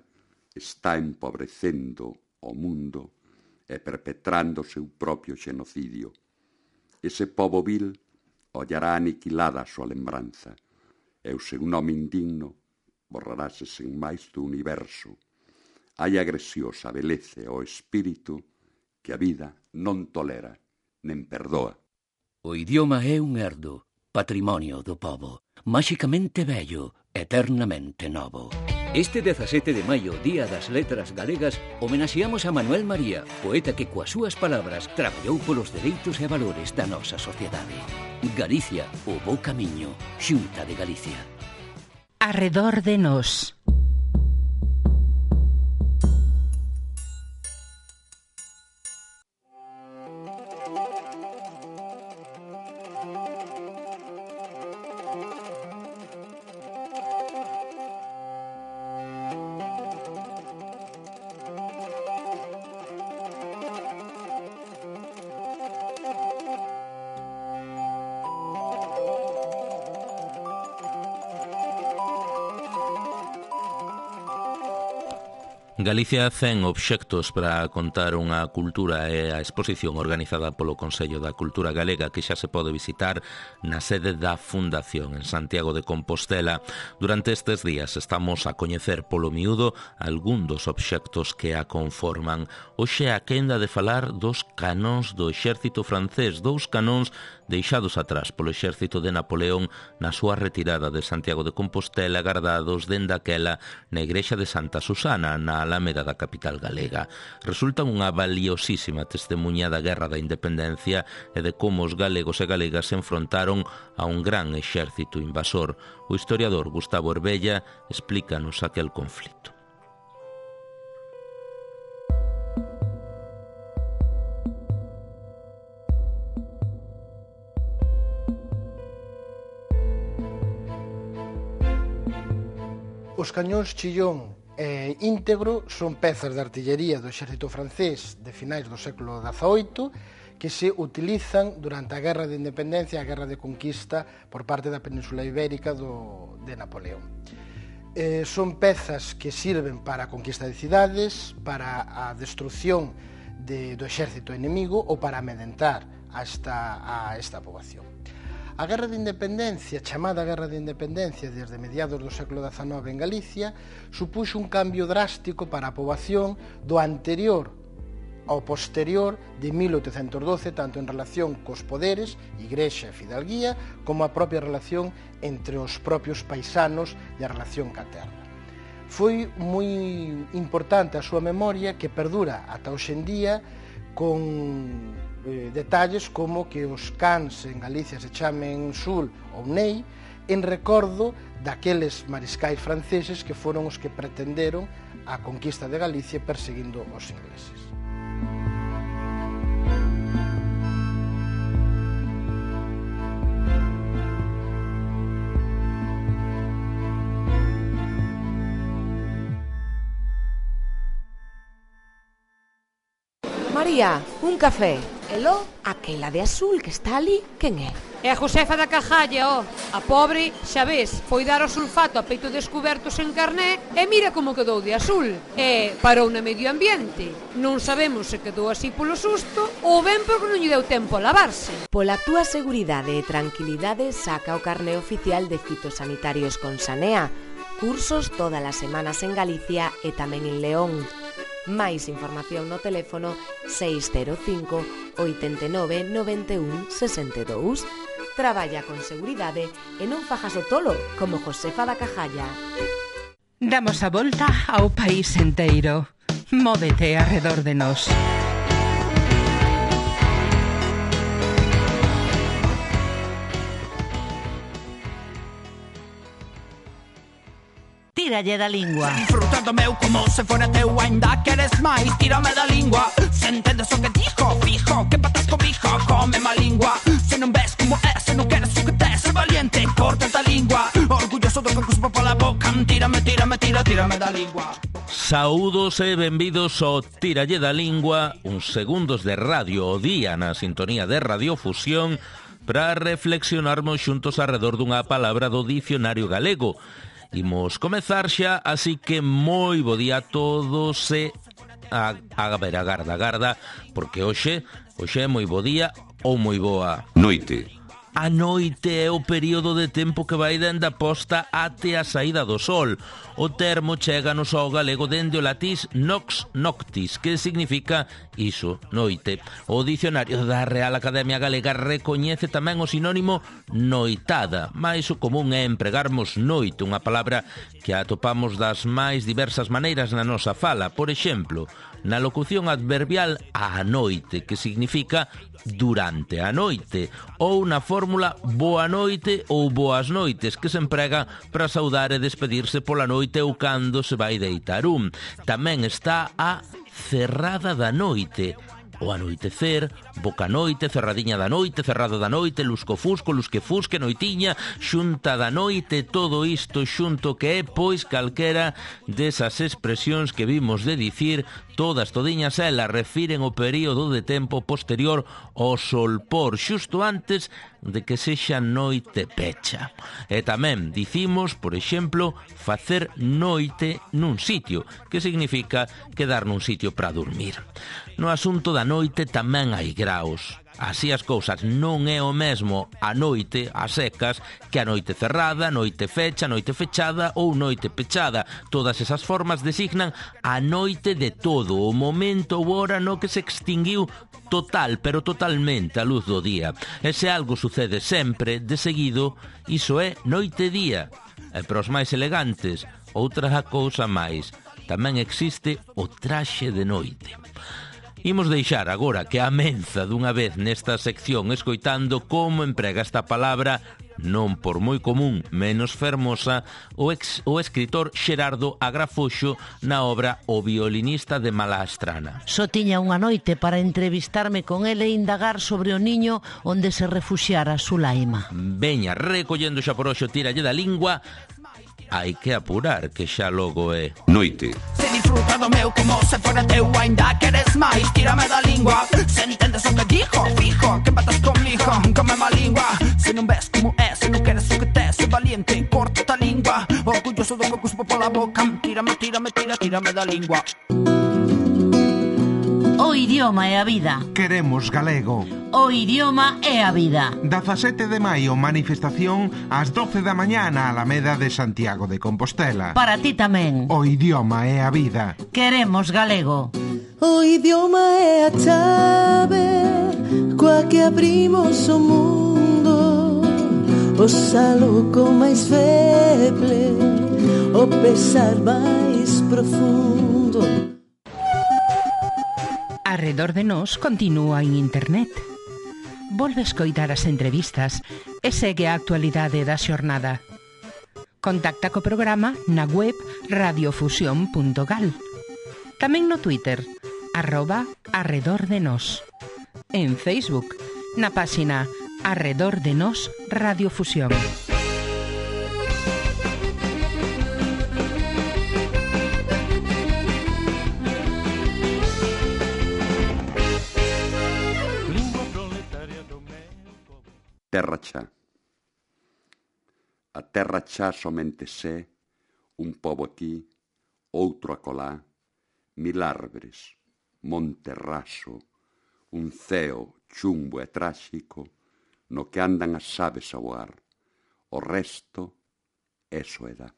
está empobrecendo o mundo e perpetrando o seu propio xenocidio. Ese pobo vil ollará aniquilada a súa lembranza e o seu nome indigno borrarase sen máis do universo. Hai agresións a beleza ao espírito que a vida non tolera nen perdoa. O idioma é un herdo, patrimonio do pobo, máxicamente bello, eternamente novo. Este dezasete de maio, Día das Letras Galegas, homenaxeamos a Manuel María, poeta que coas súas palabras traballou polos dereitos e valores da nosa sociedade. Galicia, o bo camiño, Xunta de Galicia. Arredor de nós. Galicia cen obxectos para contar unha cultura e a exposición organizada polo Consello da Cultura Galega que xa se pode visitar na sede da Fundación en Santiago de Compostela. Durante estes días estamos a coñecer polo miúdo algún dos obxectos que a conforman. Hoxe a quenda de falar dos canóns do exército francés, dous canóns deixados atrás polo exército de Napoleón na súa retirada de Santiago de Compostela, guardados dende aquela na igrexa de Santa Susana, na Alameda da capital galega. Resultan unha valiosísima testemunha da Guerra da Independencia e de como os galegos e galegas se enfrontaron a un gran exército invasor. O historiador Gustavo Herbella explícanos aquel conflito. Os cañóns Chillón e Íntegro son pezas de artillería do exército francés de finais do século dezaoito que se utilizan durante a Guerra de Independencia e a Guerra de Conquista por parte da Península Ibérica do, de Napoleón. Eh, son pezas que sirven para a conquista de cidades, para a destrucción de, do exército enemigo ou para amedrentar a esta, a esta poboación. A Guerra de Independencia, chamada Guerra de Independencia desde mediados do século dezanove en Galicia, supuxo un cambio drástico para a poboación do anterior ao posterior de mil oitocentos doce, tanto en relación cos poderes, igrexa e fidalguía, como a propia relación entre os propios paisanos e a relación ca terra. Foi moi importante a súa memoria que perdura ata hoxe en día con eh, detalles como que os cans en Galicia se chamen Sul ou Ney en recordo daqueles mariscais franceses que foron os que pretenderon a conquista de Galicia perseguindo os ingleses. María, un café. Elo, aquela de azul que está ali, quen é? É a Josefa da Cajalla, ó. A pobre, xa ves, foi dar o sulfato a peito descubertos en carné e mira como quedou de azul. E parou na medio ambiente. Non sabemos se quedou así polo susto ou ben porque non lle deu tempo a lavarse. Pola túa seguridade e tranquilidade saca o carné oficial de fitosanitarios con Sanea. Cursos todas as semanas en Galicia e tamén en León. Máis información no teléfono seis cero cinco, oito nove, nove un, seis dous. Traballa con seguridade e non fajas o tolo como Josefa da Cajalla. Damos a volta ao país enteiro. Móvete arredor de nós. Tíralle da lingua. Disfrutando meu como se fora teu, ainda queres máis, tírame da lingua. Se entendes o que dijo, fijo, que patas cobijo, come má lingua. Se non ves como é, se non queres o que tes, ser valiente, corta a lingua. Orgulloso do que cuspo pola boca, tírame, tírame, tira, tírame da lingua. Saúdos e benvidos ao Tíralle da Lingua, uns segundos de radio o día na sintonía de Radiofusión para reflexionarmos xuntos alrededor dunha palabra do dicionario galego. Imos comezar xa, así que moi bo día a todos e a, a ver, a garda, garda, porque hoxe, hoxe é moi bo día ou moi boa noite. A noite é o período de tempo que vai dende a posta até a saída do sol. O termo chéganos ao galego dende o latís nox noctis, que significa iso, noite. O dicionario da Real Academia Galega recoñece tamén o sinónimo noitada, mais o común é empregarmos noite, unha palabra que atopamos das máis diversas maneiras na nosa fala. Por exemplo, na locución adverbial a noite, que significa durante a noite, ou na fórmula boa noite ou boas noites, que se emprega para saudar e despedirse pola noite ou cando se vai deitar un. Tamén está a cerrada da noite, o anoitecer, boca noite, cerradiña da noite, cerrada da noite, lusco-fusco, lusque-fusque, noitiña, xunta da noite, todo isto xunto que é, pois, calquera desas expresións que vimos de dicir Todas, todiñas elas, refiren o período de tempo posterior ao solpor, xusto antes de que sexa noite pecha. E tamén dicimos, por exemplo, facer noite nun sitio, que significa quedar nun sitio para dormir. No asunto da noite tamén hai graos. Así as cousas, non é o mesmo a noite, a secas, que a noite cerrada, noite fecha, noite fechada ou noite pechada. Todas esas formas designan a noite de todo, o momento ou hora no que se extinguiu total, pero totalmente a luz do día. E se algo sucede sempre, de seguido, iso é noite-día. E para os máis elegantes, outra cousa máis, tamén existe o traxe de noite. Imos deixar agora que amenza dunha vez nesta sección escoitando como emprega esta palabra, non por moi común, menos fermosa, o, ex, o escritor Xerardo Agrafoxo na obra O violinista de Malastrana. Só tiña unha noite para entrevistarme con ele e indagar sobre o niño onde se refuxiara Sulaima. Veña, recollendo xa por hoxo tiralle da lingua, hai que apurar que xa logo é noite. Se disfruta do meu como se fora teu, ainda queres máis, tírame da lingua. Se entendes o que dijo, fijo, que empatas comigo, come má lingua. Se non ves como é, se non queres o que te, se valiente, corta a lingua. Orgulloso do que cuspo pola boca, tírame, tírame, tira, tírame da lingua. O idioma é a vida. Queremos galego. O idioma é a vida. dezasete de maio, manifestación ás doce da mañá na Alameda de Santiago de Compostela. Para ti tamén. O idioma é a vida. Queremos galego. O idioma é a chave coa que abrimos o mundo, o saluco máis feble, o pesar máis profundo. Arredor de nós continúa en internet. Volve escoitar as entrevistas e segue a actualidade da xornada. Contacta co programa na web radiofusión punto gal. Tamén no Twitter, arroba arredor de nós. En Facebook, na páxina Arredor de Nós Radiofusión. Terra xa. A terra xa somente sé, un pobo aquí, outro acolá, mil árbores, monte raso, un ceo chumbo e tráxico, no que andan as aves a voar. O resto é soedad.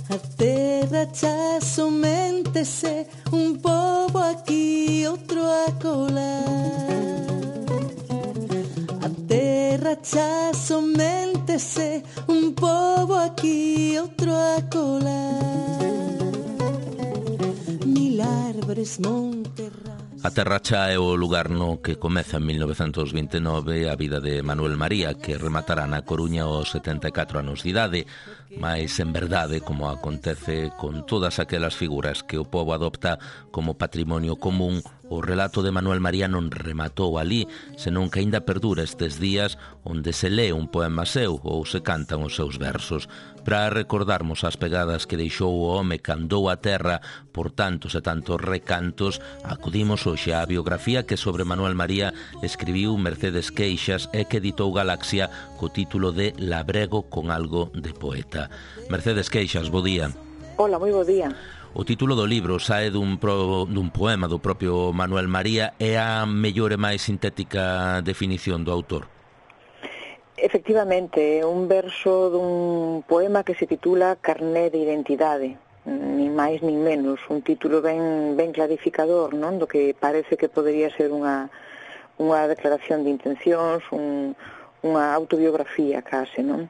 A terra xa somente sé, un pobo aquí, outro acolá. A terra xa somente sé, un pobo aquí, outro acolá. Mil árbores, monte raso. A Terra Cha é o lugar no que comeza en mil novecentos vinte e nove a vida de Manuel María, que rematará na Coruña aos setenta e catro anos de idade, mas en verdade, como acontece con todas aquelas figuras que o pobo adopta como patrimonio común, o relato de Manuel María non rematou ali, senón que aínda perdura estes días onde se lee un poema seu ou se cantan os seus versos. Para recordarmos as pegadas que deixou o home que andou a terra por tantos e tantos recantos, acudimos hoxe á biografía que sobre Manuel María escribiu Mercedes Queixas e que editou Galaxia co título de Labrego con algo de poeta. Mercedes Queixas, bo día. Hola, moi bo día. O título do libro sae dun, pro, dun poema do propio Manuel María e a mellor e máis sintética definición do autor. Efectivamente, é un verso dun poema que se titula Carné de Identidade, nin máis nin menos, un título ben, ben clarificador, non? Do que parece que podería ser unha, unha declaración de intencións, un, unha autobiografía case, non?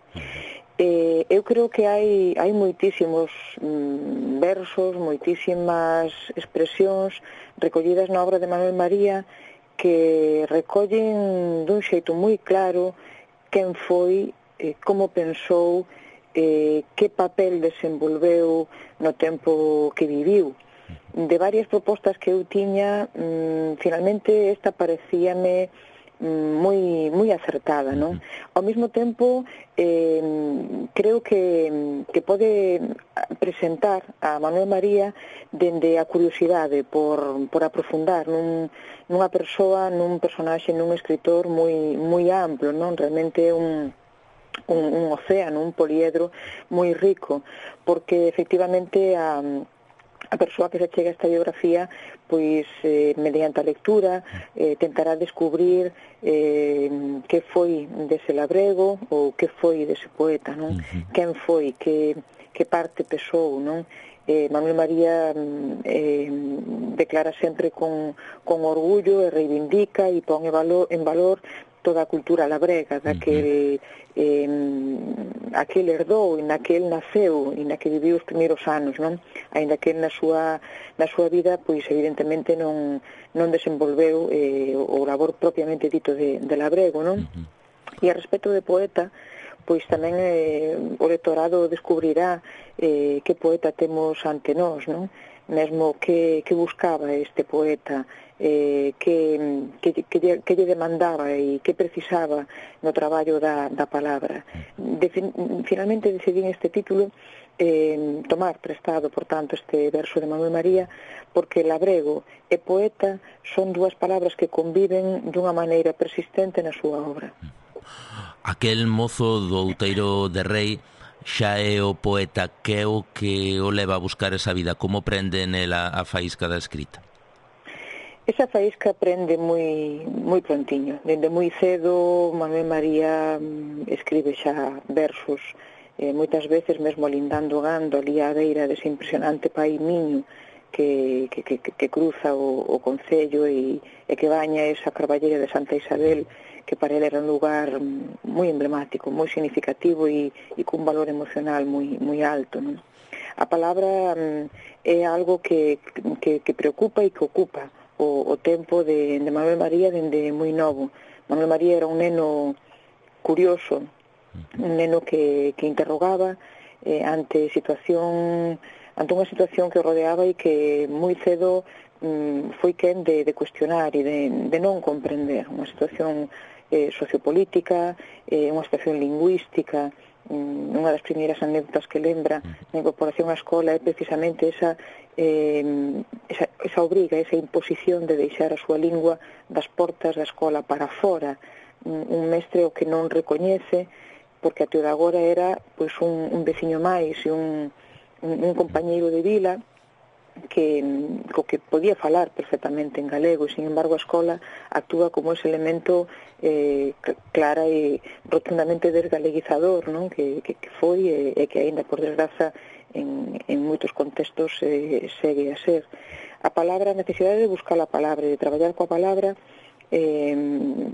Eh, eu creo que hai, hai moitísimos mm, versos, moitísimas expresións recollidas na obra de Manuel María que recollen dun xeito moi claro quen foi, eh, como pensou, eh, que papel desenvolveu no tempo que viviu. De varias propostas que eu tiña, mm, finalmente esta parecíame moi moi acertada, non? Ao mesmo tempo, eh, creo que, que pode presentar a Manuel María dende a curiosidade por, por aprofundar nun, nunha persoa, nun personaxe, nun escritor moi, moi amplo, non? Realmente un, un, un océano, un poliedro moi rico, porque efectivamente a a persoa que se chega a esta biografía, pois eh, mediante a lectura eh, tentará descubrir eh, que foi dese labrego ou que foi dese poeta, non? Uh-huh. Quen foi, que, que parte pesou, non? Eh, Manuel María eh, declara sempre con, con orgullo e reivindica e pon en valor, en valor toda a cultura labrega, daquel eh, aquel herdou e naquel naceu e na que viviu os primeiros anos, non? Ainda que na súa, na súa vida, pois evidentemente non, non desenvolveu eh, o labor propiamente dito de, de labrego, non? Uh-huh. E a respecto de poeta, pois tamén eh, o lectorado descubrirá eh, que poeta temos ante nós, non? Mesmo que, que buscaba este poeta, eh, que, que, que, lle, que lle demandaba e que precisaba no traballo da, da palabra. De, finalmente decidín este título eh, tomar prestado, por tanto, este verso de Manuel María, porque labrego e poeta son dúas palabras que conviven dunha maneira persistente na súa obra. Aquel mozo do Outeiro de Rei xa é o poeta, que é o que o leva a buscar esa vida, como prende nela a faísca da escrita? Esa faísca prende moi moi prontiño. Dende moi cedo Manuel María escribe xa versos, eh, moitas veces mesmo lindando gando ali á beira dese impresionante pai Miño que, que, que, que cruza o, o concello e, e que baña esa carballeira de Santa Isabel, que para ele era un lugar moi emblemático, moi significativo e, e cun valor emocional moi, moi alto, non? A palabra mm, é algo que, que, que preocupa e que ocupa o, o tempo de, de Manuel María dende moi novo. Manuel María era un neno curioso, un neno que, que interrogaba eh, ante situación ante unha situación que o rodeaba e que moi cedo mm, foi quen de, de cuestionar e de, de non comprender unha situación eh, sociopolítica, eh, unha situación lingüística. Mm, unha das primeiras anécdotas que lembra na incorporación á escola é precisamente esa Eh, esa, esa obriga, esa imposición de deixar a súa lingua das portas da escola para fora, un, un mestre o que non recoñece, porque até de agora era pois un, un veciño máis e un, un, un compañeiro de vila que, co que podía falar perfectamente en galego, e sin embargo a escola actúa como ese elemento eh, clara e rotundamente desgaleguizador, non? Que, que, que foi e, e que aínda por desgraza En, en moitos contextos eh, segue a ser. A palabra, a necesidade de buscar a palabra e de traballar coa palabra eh,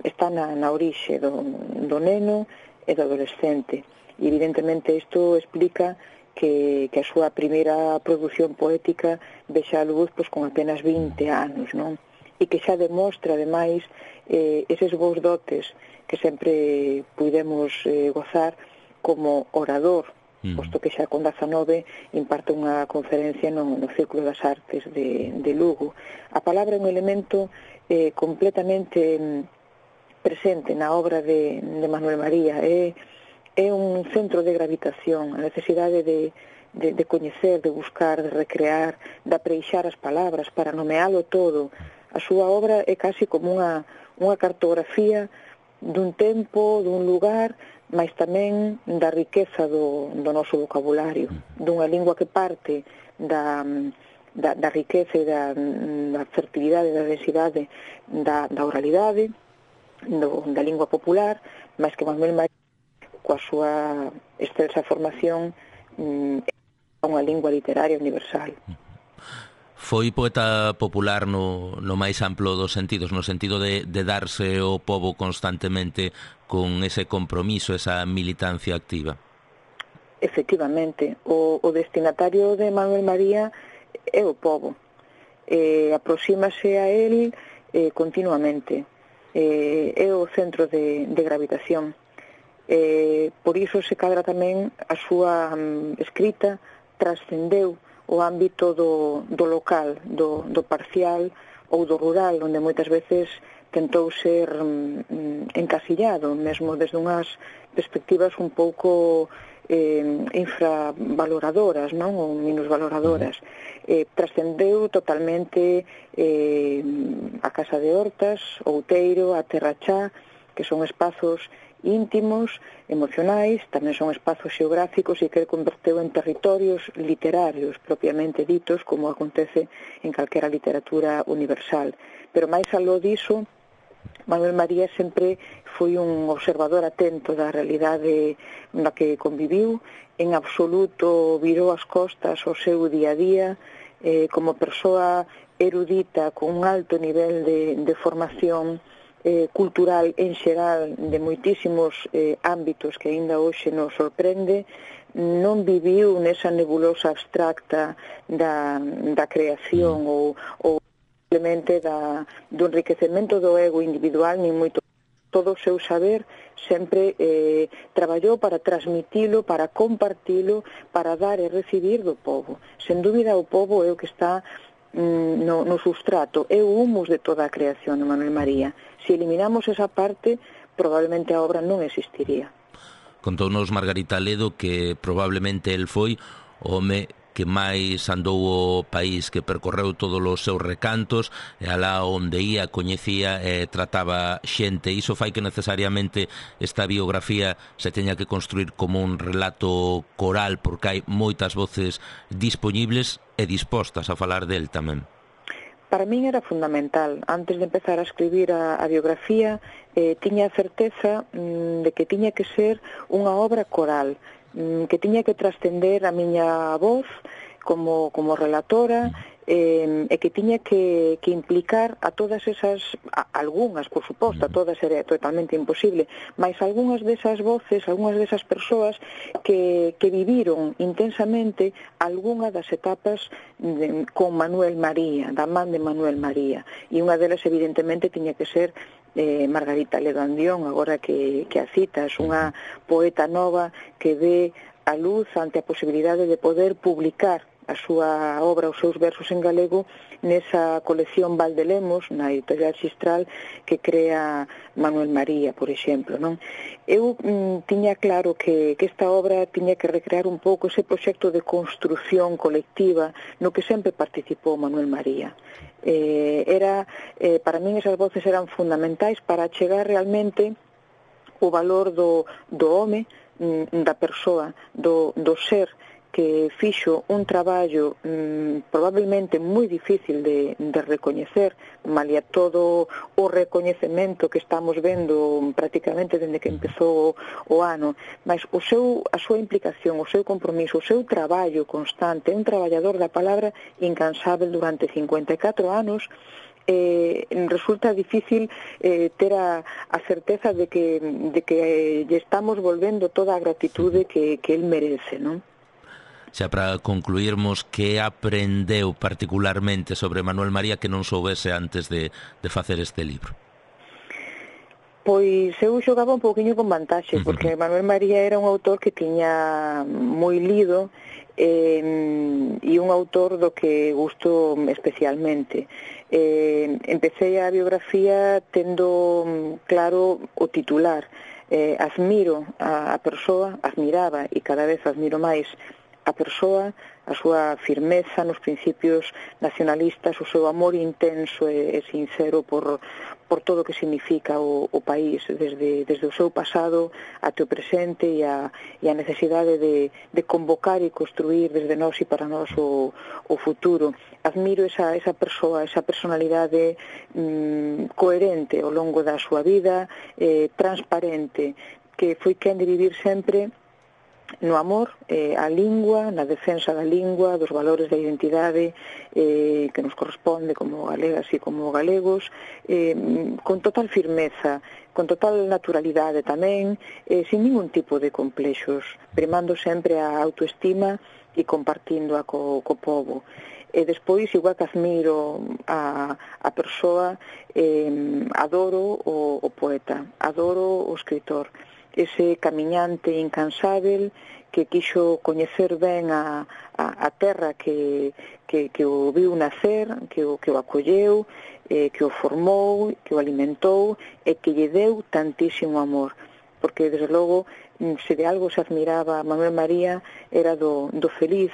está na, na orixe do, do neno e do adolescente. E evidentemente isto explica que, que a súa primeira produción poética vexa a luz pois, con apenas vinte anos, non? E que xa demostra, ademais, eh, eses bons dotes que sempre pudemos eh, gozar como orador, posto que xa con dezanove imparte unha conferencia no, no Círculo das Artes de, de Lugo. A palabra é un elemento eh, completamente mm, presente na obra de, de Manuel María. É, é un centro de gravitación, a necesidade de, de, de coñecer, de buscar, de recrear, de apreixar as palabras para nomealo todo. A súa obra é casi como unha, unha cartografía dun tempo, dun lugar, mas tamén da riqueza do, do noso vocabulario, dunha lingua que parte da, da, da riqueza e da, da fertilidade, da densidade da, da oralidade, do, da lingua popular, mas que Manuel María, coa súa excelsa formación, é unha lingua literaria universal. Foi poeta popular no, no máis amplo dos sentidos, no sentido de, de darse ao pobo constantemente con ese compromiso, esa militancia activa. Efectivamente, o, o destinatario de Manuel María é o pobo. Eh, aproxímase a él eh, continuamente. Eh, é o centro de, de gravitación. Eh, por iso se cadra tamén a súa um, escrita trascendeu o ámbito do, do local, do, do parcial ou do rural, onde moitas veces tentou ser mm, encasillado, mesmo desde unhas perspectivas un pouco eh, infravaloradoras, non? Ou minusvaloradoras. Eh, trascendeu totalmente eh, a Casa de Hortas, Outeiro, a Terra Chá, que son espazos íntimos, emocionais, tamén son espazos xeográficos e que converteu en territorios literarios propiamente ditos, como acontece en calquera literatura universal. Pero máis aló diso, Manuel María sempre foi un observador atento da realidade na que conviviu, en absoluto virou as costas ao seu día a día, eh, como persoa erudita con un alto nivel de, de formación Eh, cultural en xeral de moitísimos eh, ámbitos que aínda hoxe nos sorprende, non viviu nesa nebulosa abstracta da, da creación ou, ou simplemente da, do enriquecemento do ego individual, nin moito. Todo o seu saber sempre eh, traballou para transmitilo, para compartilo, para dar e recibir do povo. Sen dúbida o povo é o que está No, no sustrato, é o humus de toda a creación de Manuel María. Se eliminamos esa parte, probablemente a obra non existiría. Contounos Margarita Ledo que probablemente el foi o home que máis andou o país, que percorreu todos os seus recantos, e alá onde ia, coñecía e trataba xente. Iso fai que necesariamente esta biografía se teña que construir como un relato coral, porque hai moitas voces dispoñibles e dispostas a falar del tamén. Para min era fundamental. Antes de empezar a escribir a, a biografía, eh, tiña a certeza mm, de que tiña que ser unha obra coral, que tiña que trascender a miña voz como, como relatora eh, e que tiña que, que implicar a todas esas, a, algunhas, por suposto, a todas era totalmente imposible, mas algunhas desas voces, algunhas desas persoas que, que viviron intensamente algunha das etapas de, con Manuel María, da man de Manuel María, e unha delas evidentemente tiña que ser Eh, Margarita Ledo Andión, agora que, que a cita, é unha poeta nova que ve a luz ante a posibilidade de poder publicar a súa obra, os seus versos en galego, nesa colección Valdelemos, na editorial Xistral, que crea Manuel María, por exemplo, non? Eu mm, tiña claro que, que esta obra tiña que recrear un pouco ese proxecto de construción colectiva no que sempre participou Manuel María. Eh, era, eh, para min esas voces eran fundamentais para chegar realmente o valor do, do home, mm, da persoa, do, do ser, que fixo un traballo mmm, probablemente moi difícil de, de recoñecer, malia todo o recoñecemento que estamos vendo prácticamente dende que empezou o, o ano, mas o seu, a súa implicación, o seu compromiso, o seu traballo constante, un traballador da palabra incansável durante cincuenta e catro anos. Eh, resulta difícil eh, ter a, a certeza de que, de que eh, lle estamos volvendo toda a gratitude que, que el merece, non? Xa para concluirmos, que aprendeu particularmente sobre Manuel María que non soubese antes de, de facer este libro? Pois eu xogaba un pouquiño con vantaxe, porque Manuel María era un autor que tiña moi lido eh, e un autor do que gusto especialmente. Eh, empecé a biografía tendo claro o titular. Eh, admiro a, a persoa, admiraba e cada vez admiro máis a persoa, a súa firmeza nos principios nacionalistas, o seu amor intenso e, e sincero por, por todo o que significa o, o país, desde, desde o seu pasado até o presente e a, e a necesidade de, de convocar e construir desde nós e para nós o, o futuro. Admiro esa, esa persoa, esa personalidade mm, coherente ao longo da súa vida, eh, transparente, que foi quen de vivir sempre no amor, eh, a lingua, na defensa da lingua, dos valores da identidade eh, que nos corresponde como galegas e como galegos, eh, con total firmeza, con total naturalidade tamén, eh, sin ningún tipo de complexos, primando sempre a autoestima e compartindo a co, co povo. E despois, igual que admiro a, a persoa, eh, adoro o, o poeta, adoro o escritor. ese camiñante incansável que quixo coñecer ben a, a, a terra que, que, que o viu nacer, que o, que o acolleu, eh, que o formou, que o alimentou e que lle deu tantísimo amor. Porque, desde logo, se de algo se admiraba a Manuel María era do, do feliz,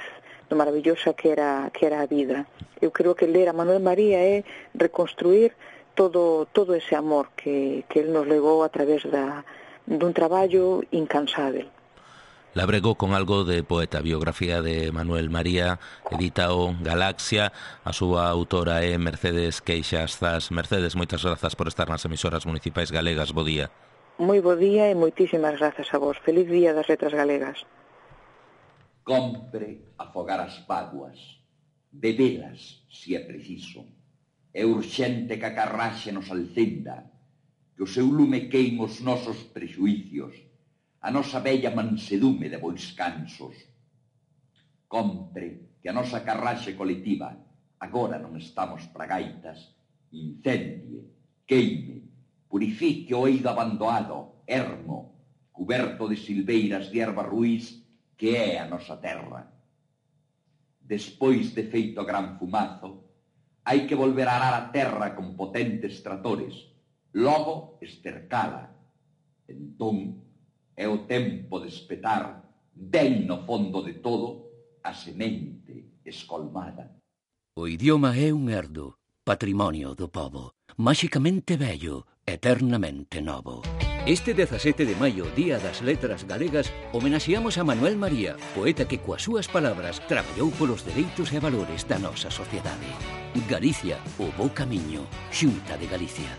do maravillosa que era, que era a vida. Eu creo que ler a Manuel María é reconstruir todo, todo ese amor que, que él nos levou a través da, dun traballo incansável. Labregou con algo de poeta, biografía de Manuel María, editao Galaxia, a súa autora é Mercedes Queixastas. Mercedes, moitas grazas por estar nas emisoras municipais galegas. Bo día. Moi bo día e moitísimas grazas a vos. Feliz día das letras galegas. Compre afogar as vaguas, bebelas, se é preciso. É urxente que a carraxe nos alcenda, que o seu lume queime os nosos prexuicios, a nosa bella mansedume de bois cansos. Compre que a nosa carraxe colectiva, agora non estamos para gaitas, incendie, queime, purifique o eido abandoado, ermo, cuberto de silveiras de erva ruís, que é a nosa terra. Despois de feito gran fumazo, hai que volver a arar a terra con potentes tratores, logo estercala. Entón, é o tempo de espetar, ben no fondo de todo, a semente escolmada. O idioma é un herdo, patrimonio do pobo, máxicamente bello, eternamente novo. Este dezasete de maio, Día das Letras Galegas, homenaxeamos a Manuel María, poeta que coas súas palabras traballou polos dereitos e valores da nosa sociedade. Galicia, o bo camiño, Xunta de Galicia.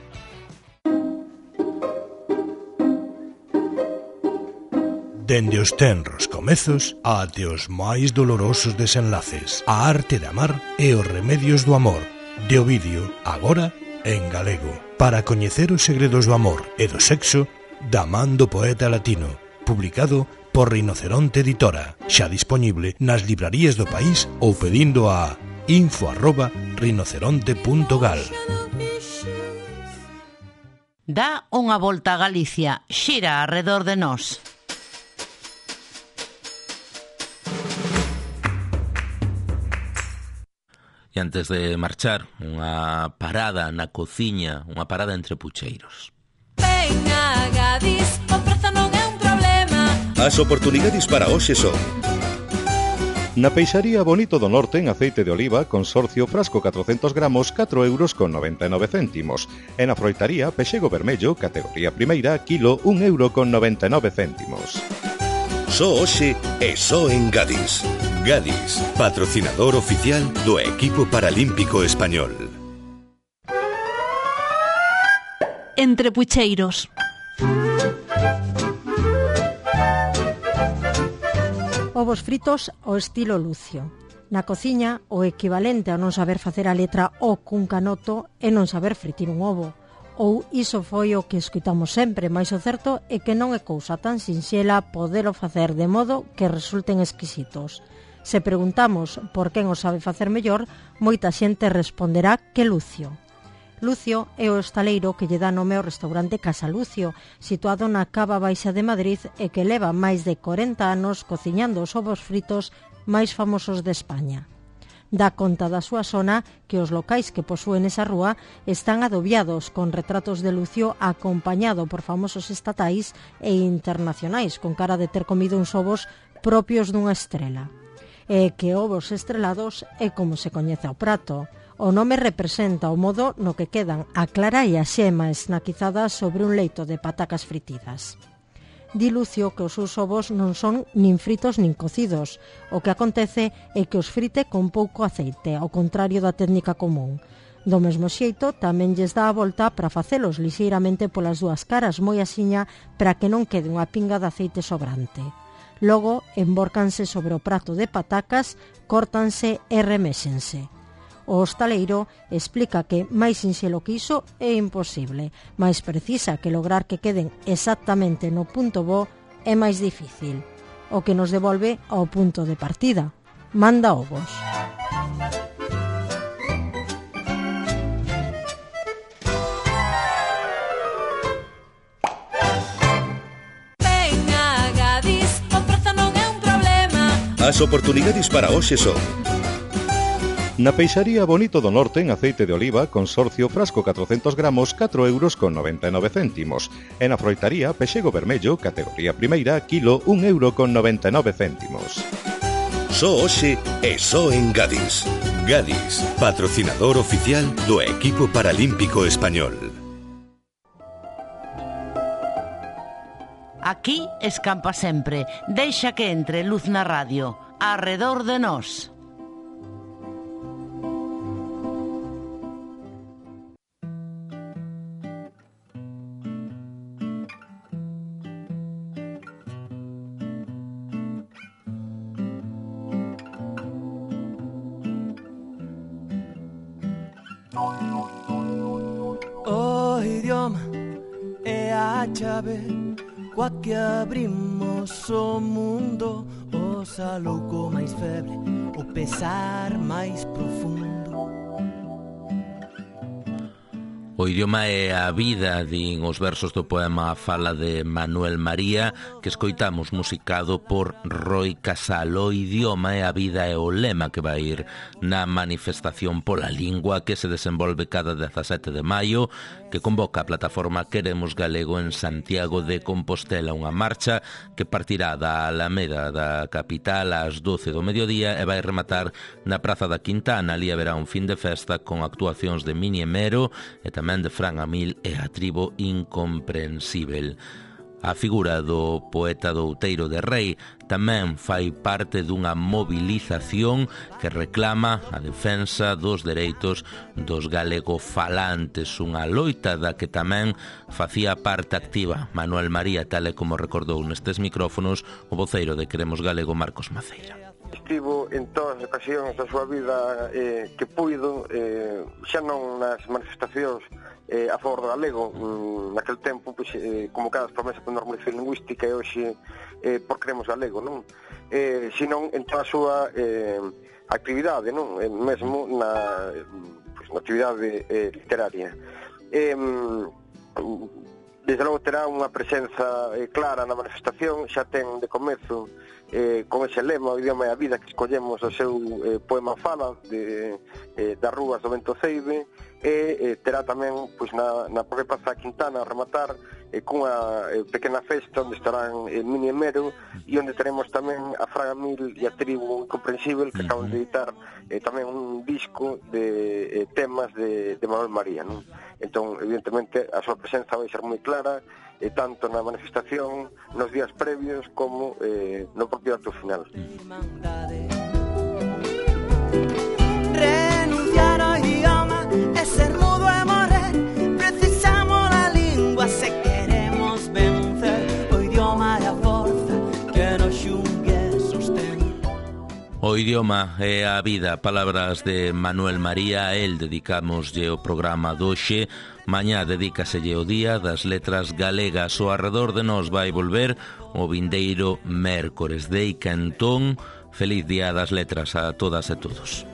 Dende os tenros comezos até os máis dolorosos desenlaces, a arte de amar e os remedios do amor, de Ovidio, agora en galego, para coñecer os segredos do amor e do sexo da man do poeta latino, publicado por Rinoceronte Editora, xa dispoñible nas librarías do país ou pedindo a info arroba rinoceronte punto gal. Dá unha volta a Galicia, xira arredor de nós. E antes de marchar, unha parada na cociña, unha parada entre pucheiros. Venga, Gadis, o prezo non é un problema. As oportunidades para hoxe son: na peixaría Bonito do Norte en aceite de oliva, consorcio frasco catrocentos gramos, catro euros con noventa e nove céntimos. E na froitaría pexego vermello, categoría primeira, kilo, un euro con noventa e nove céntimos. Só hoxe e só en Gadis. Gadis, patrocinador oficial do equipo paralímpico español. Entre pucheiros. Ovos fritos ao estilo Lucio. Na cociña, o equivalente a non saber facer a letra O cun canoto é non saber fritir un ovo. Ou iso foi o que escoitamos sempre, mais o certo é que non é cousa tan sinxela podelo facer de modo que resulten exquisitos. Se preguntamos por quen o sabe facer mellor, moita xente responderá que Lucio. Lucio é o estaleiro que lle dá nome ao restaurante Casa Lucio, situado na Cava Baixa de Madrid e que leva máis de corenta anos cociñando os ovos fritos máis famosos de España. Dá conta da súa zona que os locais que posúen esa rúa están adobiados con retratos de Lucio acompañado por famosos estatais e internacionais con cara de ter comido uns ovos propios dunha estrela. E que ovos estrelados é como se coñece ao prato. O nome representa o modo no que quedan a clara e a xema esnaquizadas sobre un leito de patacas fritidas. Di Lucio que os seus ovos non son nin fritos nin cocidos. O que acontece é que os frite con pouco aceite, ao contrario da técnica común. Do mesmo xeito, tamén lles dá a volta para facelos lixeiramente polas dúas caras, moi asiña para que non quede unha pinga de aceite sobrante. Logo, embórcanse sobre o prato de patacas, córtanse e reméxense. O hostaleiro explica que máis sinxelo que iso é imposible, máis precisa que lograr que queden exactamente no punto bo é máis difícil. O que nos devolve ao punto de partida. Manda ovos. As oportunidades para hoxe son: na peixaría Bonito do Norte en aceite de oliva, consorcio frasco catrocentos gramos, catro euros con noventa e nove céntimos. E na froitaría Pexego Vermello, categoría primeira, kilo, un euro con noventa e nove céntimos. Só hoxe e só en Gadis. Gadis, patrocinador oficial do equipo paralímpico español. Aquí escampa sempre. Deixa que entre luz na radio. Arredor de nós. O idioma é a chave coa que abrimos o mundo, o saluco máis febre, o pesar máis profundo. O idioma é a vida, din os versos do poema A Fala de Manuel María, que escoitamos musicado por Roi Casal. O idioma é a vida é o lema que vai ir na manifestación pola lingua que se desenvolve cada dezasete de maio, que convoca a plataforma Queremos Galego en Santiago de Compostela, unha marcha que partirá da Alameda da capital ás doce do mediodía e vai rematar na Praza da Quintana. Ali haberá un fin de festa con actuacións de Mini Emero e tamén de Fran Amil e a Tribo Incomprensível. A figura do poeta do Outeiro de Rei tamén fai parte dunha movilización que reclama a defensa dos dereitos dos galegofalantes, unha loita da que tamén facía parte activa Manuel María, tal e como recordou nestes micrófonos o voceiro de Queremos Galego, Marcos Maceira. Estivo en todas as ocasións da súa vida eh, que puido, eh, xa non nas manifestacións eh, a favor do galego, mm, naquel tempo pois, eh, convocadas promesas por normalización lingüística e hoxe eh, por Queremos Galego, non? Eh, senón en toda a súa eh, actividade, non? Eh, mesmo na, pois, na actividade eh, literaria. Eh, desde logo terá unha presenza eh, clara na manifestación, xa ten de comezo Eh, con ese lema, o idioma e a vida, que escollemos o seu eh, poema Fala de, eh, das rúas do Ventoceibe, e eh, terá tamén pois, na, na propia Praza Quintana a rematar eh, cunha eh, pequena festa onde estarán eh, Mini Emero e onde teremos tamén a Fran Amil e a Tribu Incomprensível, que acaban de editar eh, tamén un disco de eh, temas de, de Manuel María, non? Entón, evidentemente, a súa presenza vai ser moi clara, eh, tanto na manifestación, nos días previos, como eh, no propio acto final. Renunciar ao idioma é ser mudo e morrer. Precisamos a lingua se queremos vencer. O idioma é a forza que nos xungue e sostén. O idioma é a vida, palabras de Manuel María. A el dedicamoslle o programa doxe. Mañá dedícaselle o Día das Letras Galegas. O Arredor de Nós vai volver o vindeiro mércores. Deica entón, feliz Día das Letras a todas e todos.